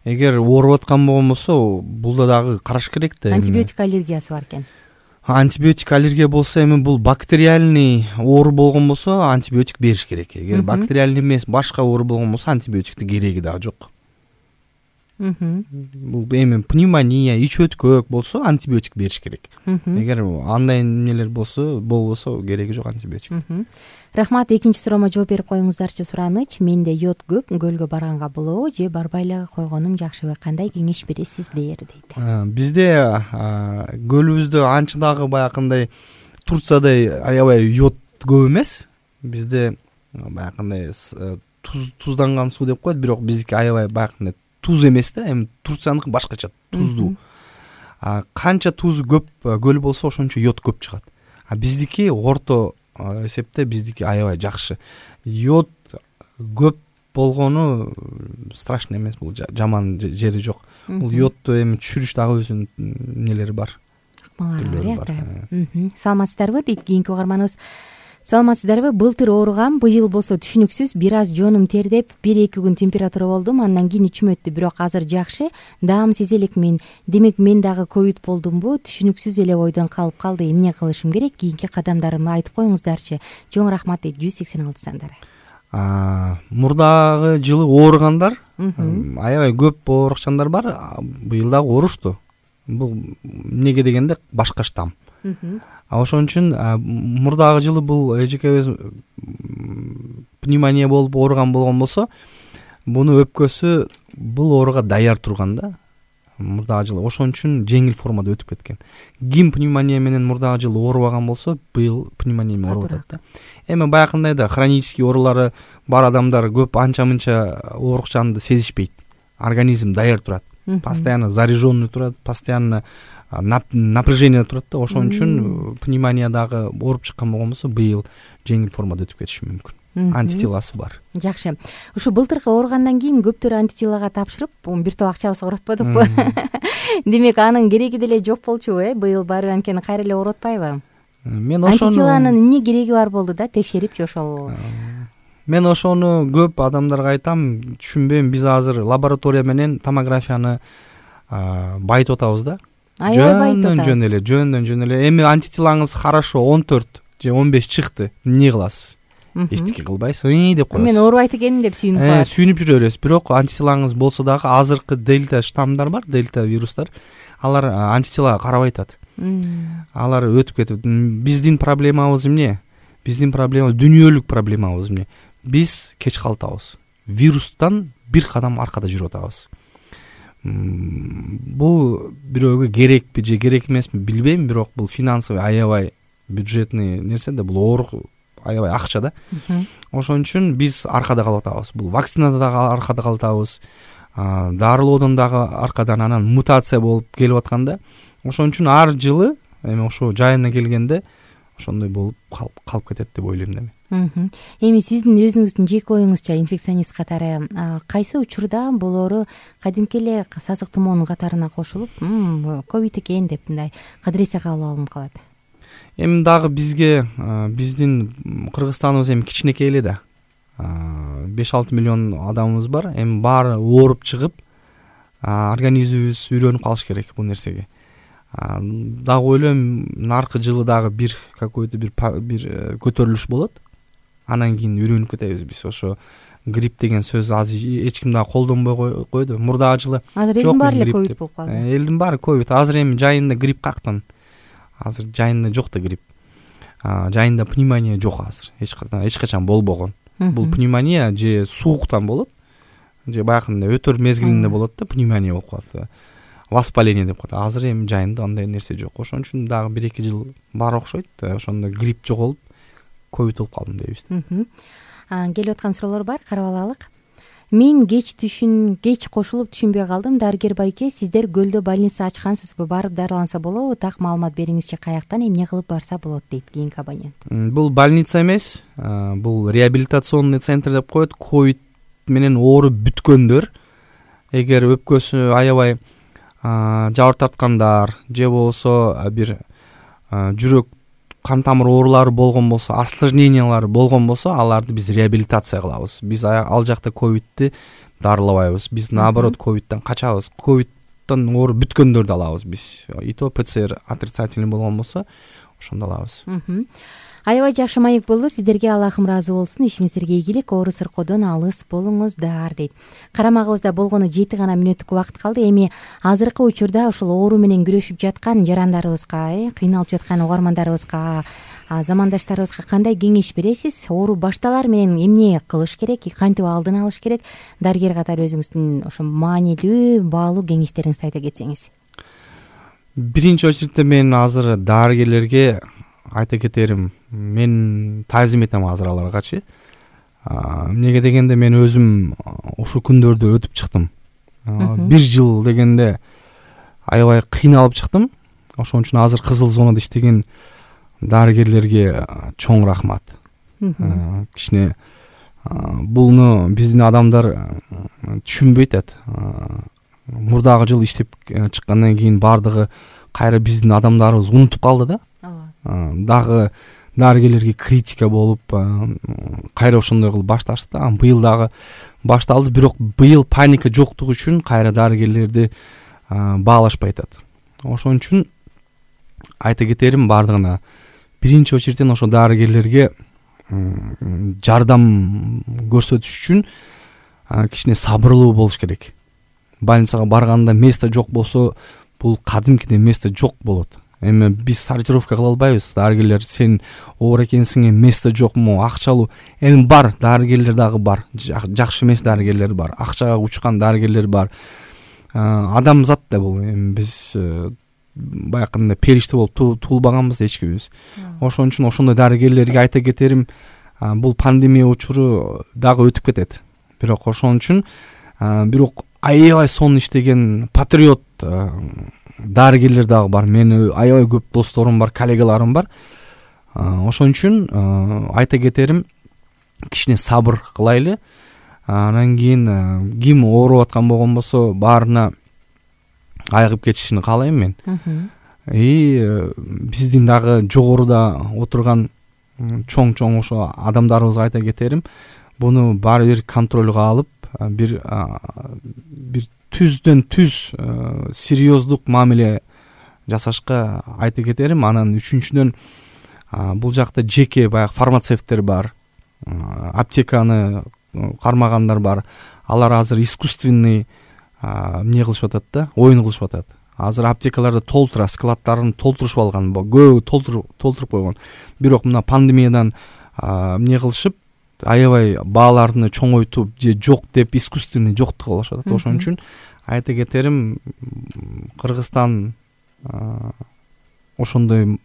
Эгер ооруп аткан болгон болсо, булда дагы караш керек да. Антибиотик аллергиясы бар экен. Антибиотик аллергия болсо, эми бул бактериальный оору болгон болсо, антибиотик бериш керек. Эгер бактериальный эмес, башка оору болгон болсо, антибиотиктин кереги дагы жок. Бул эми пневмония, ич өткөк болсо, антибиотик бериш керек. Эгер андай эмнелер болбосо, кереги жок антибиотик. Рахмат. Экинчи суроомо жооп берип коюңуздарчы. Сураныч: менде йод көп, көлгө барганга болобу же барбай эле койгонум жакшыбы? Кандай кеңеш бересиздер дейт. Бизде көлүбүздө анча дагы баягындай Турциядай аябай йод көп эмес. Бизде баягындай тузданган суу деп коет, бирок биздики аябай баягындай туз эмес да. Эми Турцияныкы башкача, туздуу. Канча тузу көп көл болсо, ошончо йод көп чыгат. Биздики орто эсепте биздики аябай жакшы. Йод көп болгону страшно эмес, бул жаман жери жок. Бул йодду эми түшүрүш дагы өзүнүн эмнелери бар. Акмалары бар. Саламатсыздарбы? Кийинки угарманыбыз: саламатсыздарбы? Былтыр ооругам, быйыл болсо түшүнүксүз бир аз жонум тердеп, 1-2 күн температура болдум, андан кийин ичим өттү, бирок азыр жакшы. Даам сезе элекмин. Демек мен дагы ковид болдумбу? Түшүнүксүз эле ойдон калып калды. Эмне кылышым керек? Кийинки кадамдарымды айтып коюңуздарчы. Жоң рахмат дейт 186 сандары. Мурдагы жылы ооругандар аябай көп оорукчандар бар. Быйыл дагы оорушту. Бул эмнеге дегенде башка штамм. Ошон үчүн мурдагы жылы бул эжекебиз пневмония болуп ооруган болгон болсо, буну өпкөсү бул ооруга даяр турган да. мурдагы жылы, ошон үчүн жеңил формада өтүп кеткен. Ким пневмония менен мурдагы жылы оорубаган болсо, быйыл пневмония менен ооруп атат да. Эми баягындай да хронический оорулары бар адамдар көп анча-мынча оорукчанды сезишпейт. Организм даяр турат, постоянно заряженный турат, постоянно напряжение турат да. Ошон үчүн пневмония дагы ооруп чыккан болгон болсо, быйыл жеңил формада өтүп кетиши мүмкүн. Антителасы бар. Жакшы. Ушу былтыркы ооругандан кийин көптөр антителага тапшырып, бир топ акчабыз коротподукпу? Демек анын кереги деле жок болчу, быйыл баары анткени кайра эле ооруп атпайбы? Мен ошону антителанын эмне кереги бар болду да, текшерипчи ошол? Мен ошону көп адамдарга айтам, түшүнбөйм. Биз азыр лаборатория менен томографияны байытып атабыз да. Жөндөн эле. Эми антителаңыз хорошо 14 же 15 чыкты. Эмне кыласыз? Эчтеке кылбайсыз, деп коесуз. Мен оорубайт экенмин деп сүйүнүп калат. Сүйүнүп жүрө бересиз. Бирок антителаңыз болсо дагы азыркы дельта штаммдар бар, дельта вирустар. Алар антителага карабай атат. Алар өтүп кетип. Биздин проблемабыз эмне? Биздин проблема дүйнөлүк проблемабыз эмне? Биз кеч калтабыз. Вирустан бир кадам аркада жүрүп атабыз. Бул бирөөгө керекпи же керек эмеспи билбейм, бирок бул финансовый аябай бюджетный нерсе да, бул оорук аябай акча да. Ошон үчүн биз аркада калып атабыз. Бул вакцинада дагы аркада калып атабыз. Дарылоодон дагы аркадан, анан мутация болуп келип атканда. Ошон үчүн ар жылы эми ошо жайына келгенде ошондой болуп калып кетет деп ойлойм да мен. Эми сиздин өзүңүздүн жеке оюңузча инфекционист катары кайсы учурда бул оору кадимки эле сасык тумоонун катарына кошулуп, ковид экен деп мындай кадыресе кабыл алынып калат? Эми дагы бизге биздин Кыргызстаныбыз эми кичинекей эле да. 5-6 миллион адамыбыз бар. Эми баары ооруп чыгып, организмибиз үйрөнүп калыш керек бул нерсеге. Дагы ойлойм, наркы жылы дагы бир какой-то бир көтөрүлүш болот. Анан кийин үйрөнүп кетебиз биз. Ошо грипп деген сөз азыр эч ким дагы колдонбой койду. Мурдагы жылы азыр элдин баары эле ковид болуп калды. Элдин баары ковид. Азыр эми жайында грипп кактан. Азыр жайында жок да грипп. Жайында пневмония жок азыр. Эч качан болбогон. Бул пневмония же сууктан болот, же баягындай өтөр мезгилинде болот да, пневмония болуп калат. Воспаление деп коет. Азыр эми жайында андай нерсе жок. Ошон үчүн дагы 1-2 жыл бар окшойт. Ошондо грипп жоголуп, ковид болуп калдым дейбиз. Келип аткан суроолор бар, карап алалык. Мен кеч кошулуп түшүнбөй калдым. Дарыгер байке, сиздер көлдө больница ачкансызбы? Барып дарыланса болобу? Так маалымат бериңизчи, каяктан, эмне кылып барса болот дейт кийинки абонент. Бул больница эмес, бул реабилитационный центр деп коет. Ковид менен ооруп бүткөндөр, эгер өпкөсү аябай жабыр тарткандар же болбосо бир жүрөк кан тамыр оорулары болгон болсо, осложнениялары болгон болсо, аларды биз реабилитация кылабыз. Биз ал жакта ковидти дарылабайбыз. Биз наоборот ковидтен качабыз. Ковидтен ооруп бүткөндөрдү алабыз биз. И то ПЦР отрицательный болгон болсо, ошондо алабыз. Аябай жакшы маек болду. Сиздерге Аллахым ыраазы болсун. Ишиңиздерге ийгилик, оору сыркоодон алыс болуңуздар дейт. Карамагыбызда болгону 7 гана мүнөттүк убакыт калды. Эми азыркы учурда ушул оору менен күрөшүп жаткан жарандарыбызга, кыйналып жаткан угармандарыбызга, замандаштарыбызга кандай кеңеш бересиз? Оору башталар менен эмне кылыш керек, кантип алдын алыш керек? Дарыгер катары өзүңүздүн ошо маанилүү, баалуу кеңештериңизди айта кетсеңиз. Биринчи очередте мен азыр дарыгерлерге айта кетерим, мен таазим этем азыр аларгачы. Эмнеге дегенде мен өзүм ушул күндөрдү өтүп чыктым. 1 жыл дегенде аябай кыйналып чыктым. Ошон үчүн азыр кызыл зонада иштеген дарыгерлерге чоң рахмат. Кичине булну биздин адамдар түшүнбөйт атат. Мурдагы жыл иштеп чыккандан кийин бардыгы кайра биздин адамдарыбыз унутуп калды да. Дагы дарыгерлерге критика болуп, кайра ошондой кылып башташты. Быйыл дагы башталды, бирок быйыл паника жоктугу үчүн кайра дарыгерлерди баалашпай атат. Ошон үчүн айта кетерим бардыгына, биринчи очередтен ошо дарыгерлерге жардам көрсөтүш үчүн кичине сабырлуу болуш керек. Больницага барганда место жок болсо, бул кадимкидей место жок болот. Эми биз сортировка кыла албайбыз. Дарыгерлер, сен оор экенсиң, место жокму, акчалуу? Эми бар, дарыгерлер дагы бар. Жакшы эмес дарыгерлер бар. Акчага учкан дарыгерлер бар. адамзат да бул. Эми биз баягы периште болуп туулбаганбыз эчкибиз. Ошон үчүн ошондой дарыгерлерге айта кетерим, бул пандемия учуру дагы өтүп кетет. Бирок ошон үчүн аябай сонун иштеген патриот дарыгерлер дагы бар. Менин аябай көп досторум бар, коллегаларым бар. Ошон үчүн айта кетерим, кичине сабыр кылайлы. Анан кийин ким ооруп аткан болгон болсо баарына айыгып кетишин каалайм мен. Биздин дагы жогоруда отурган чоң ошо адамдарыбызга айта кетерим, буну баары бир контролго алып, бир түздөн түз серьездук мамиле жасашка айта кетерим. Анан үчүнчүдөн бул жакта жеке баягы фармацевттер бар, аптеканы кармагандар бар. Алар азыр искусственный эмне кылышып атат да, оюн кылышып атат. Азыр аптекаларды толтура, складдарын толтурушуп алган, көбү толтуруп койгон. Бирок мына пандемиядан эмне кылышып, аябай бааларды чоңойтуп же жок деп искусственный жоктук кылышып атат. Ошон үчүн айта кетерим, Кыргызстан ошондой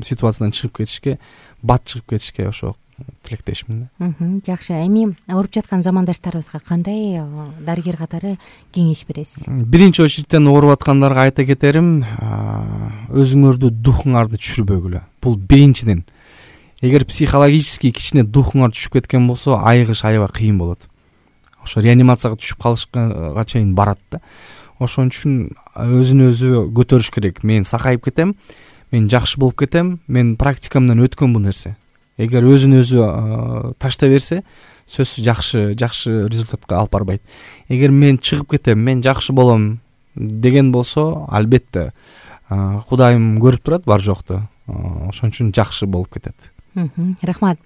ситуациядан чыгып кетишке, бат чыгып кетишке ошо тилектешмин да. Жакшы. Эми ооруп жаткан замандаштарыбызга кандай дарыгер катары кеңеш бересиз? Биринчи очередтен ооруп аткандарга айта кетерим, өзүңөрдү духуңарды түшүрбөгүлө. Бул биринчиден. Эгер психологически кичине духуңар түшүп кеткен болсо, айыгыш аябай кыйын болот. Ошо реанимацияга түшүп калышка чейин барат да. Ошон үчүн өзүн өзү көтөрүш керек. Мен сакайып кетем, мен жакшы болуп кетем, мен практикамдан өткөн бул нерсе. Эгер өзүн өзү таштай берсе, сөзсүз жакшы результатка алып барбайт. Эгер мен чыгып кетем, мен жакшы болом деген болсо, албетте Кудайым көрүп турат бар жокту. Ошон үчүн жакшы болуп кетет. Рахмат.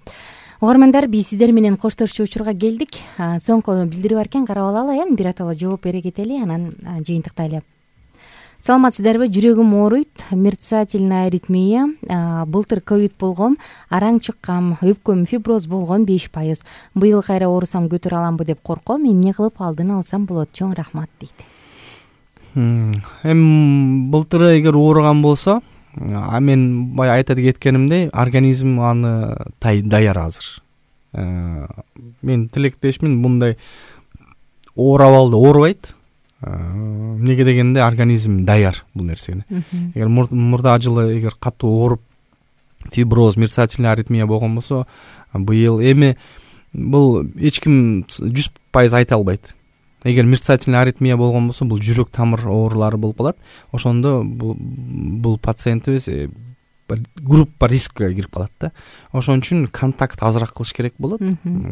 Угармандар, биз сиздер менен коштошчу учурга келдик. Соңку билдирүү бар экен, карап алалы, бир атала жооп бере кетели, анан жыйынтыктайлы. Саламатсыздарбы? Жүрөгүм ооруйт, мерцательная аритмия, былтыр ковид болгом, араң чыккам, өпкөм фиброз болгон 5%. Быйыл кайра оорусам көтөрө аламбы деп корком, эмне кылып алдын алсам болот? Чоң рахмат дейт. Былтыр эгер ооруган болсо, мен бая айта кеткенимдей, организм аны даяр азыр. Мен тилектешмин, мындай оорабалды оорубайт. Эмнеге дегенде организм даяр бул нерсеге. Эгер мурда жылы эгер катуу ооруп фиброз, мерцательная аритмия болгон болсо, быйыл эми бул эч ким 100% айта албайт. Эгер мерцательная аритмия болгон болсо, бул жүрөк тамыр оорулары болуп калат. Ошондо бул пациентибиз группа рискке кирип калат да. Ошон үчүн контакт азыраак кылыш керек болот.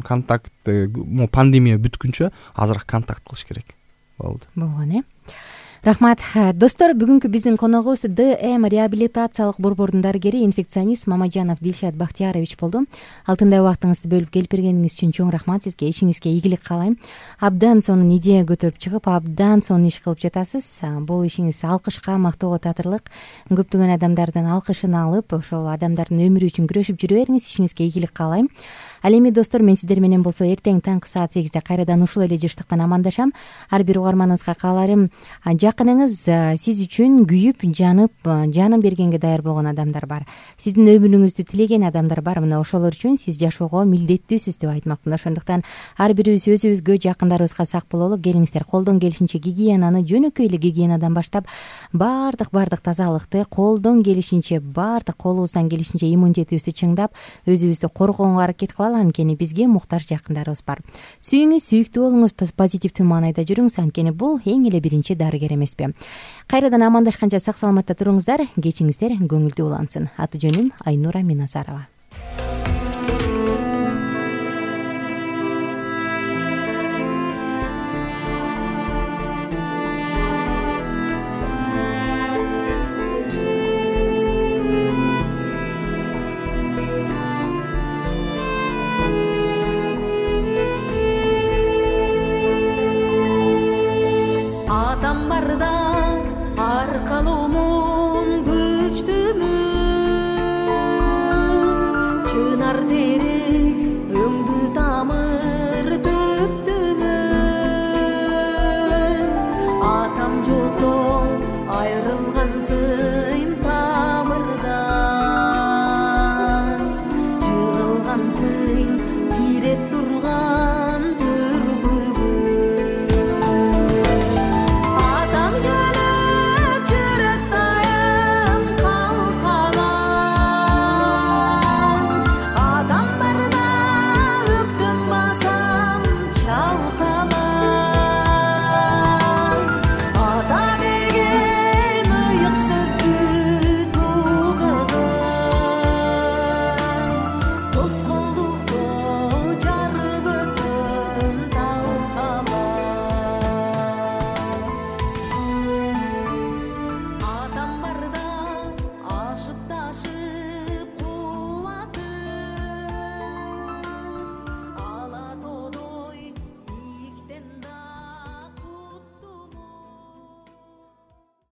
Контакт пандемия бүткүнчө азыраак контакт кылыш керек. Болгон, Рахмат. Достор, бүгүнкү биздин коногубуз ДМ реабилитациялык борбордун дарыгери, инфекционист Мамажанов Дилшат Бактиярович болду. Алтындай убактыңызды бөлүп келип бергениңиз үчүн чоң рахмат сизге. Ишиңизге ийгилик каалайм. Абдан сонун идея көтөрүп чыгып, абдан сонун иш кылып жатасыз. Бул ишиңиз алкышка, мактоого татырлык. Көптөгөн адамдардын алкышын алып, ошол адамдардын өмүрү үчүн күрөшүп жүрө бериңиз. Ишиңизге ийгилик каалайм. Ал эми достор, мен сиздер менен болсо эртең таңкы саат 8-де кайрадан ушул эле жыштыктан амандашам. Ар бир угарманыбызга кааларым, жакыныңыз сиз үчүн күйүп, жанып, жанын бергенге даяр болгон адамдар бар. Сиздин өмүрүңүздү тилеген адамдар бар. Мына ошолор үчүн сиз жашоого милдеттүүсүз деп айтмакмын. Ошондуктан ар бирибиз өзүбүзгө, жакындарыбызга сак бололу. Келиңиздер, колдон келишинче гигиенаны, жөнөкөй эле гигиенадан баштап, бардык тазалыкты колдон келишинче, бардык колубуздан келишинче иммунитетибизди чыңдап, өзүбүздү коргоого аракет кылалы. Анткени бизге муктаж жакындарыбыз бар. Сүйүңүз, сүйүктүү болуңуз, позитивдүү маанайда жүрүңүз. Анткени бул эң эле биринчи дарыгер эмеспи? Кайрадан амандашканча сак саламатта туруңуздар. Кечиңиздер көңүлдүү улансын. Аты жөнүм Айнура Миназарова. Чынар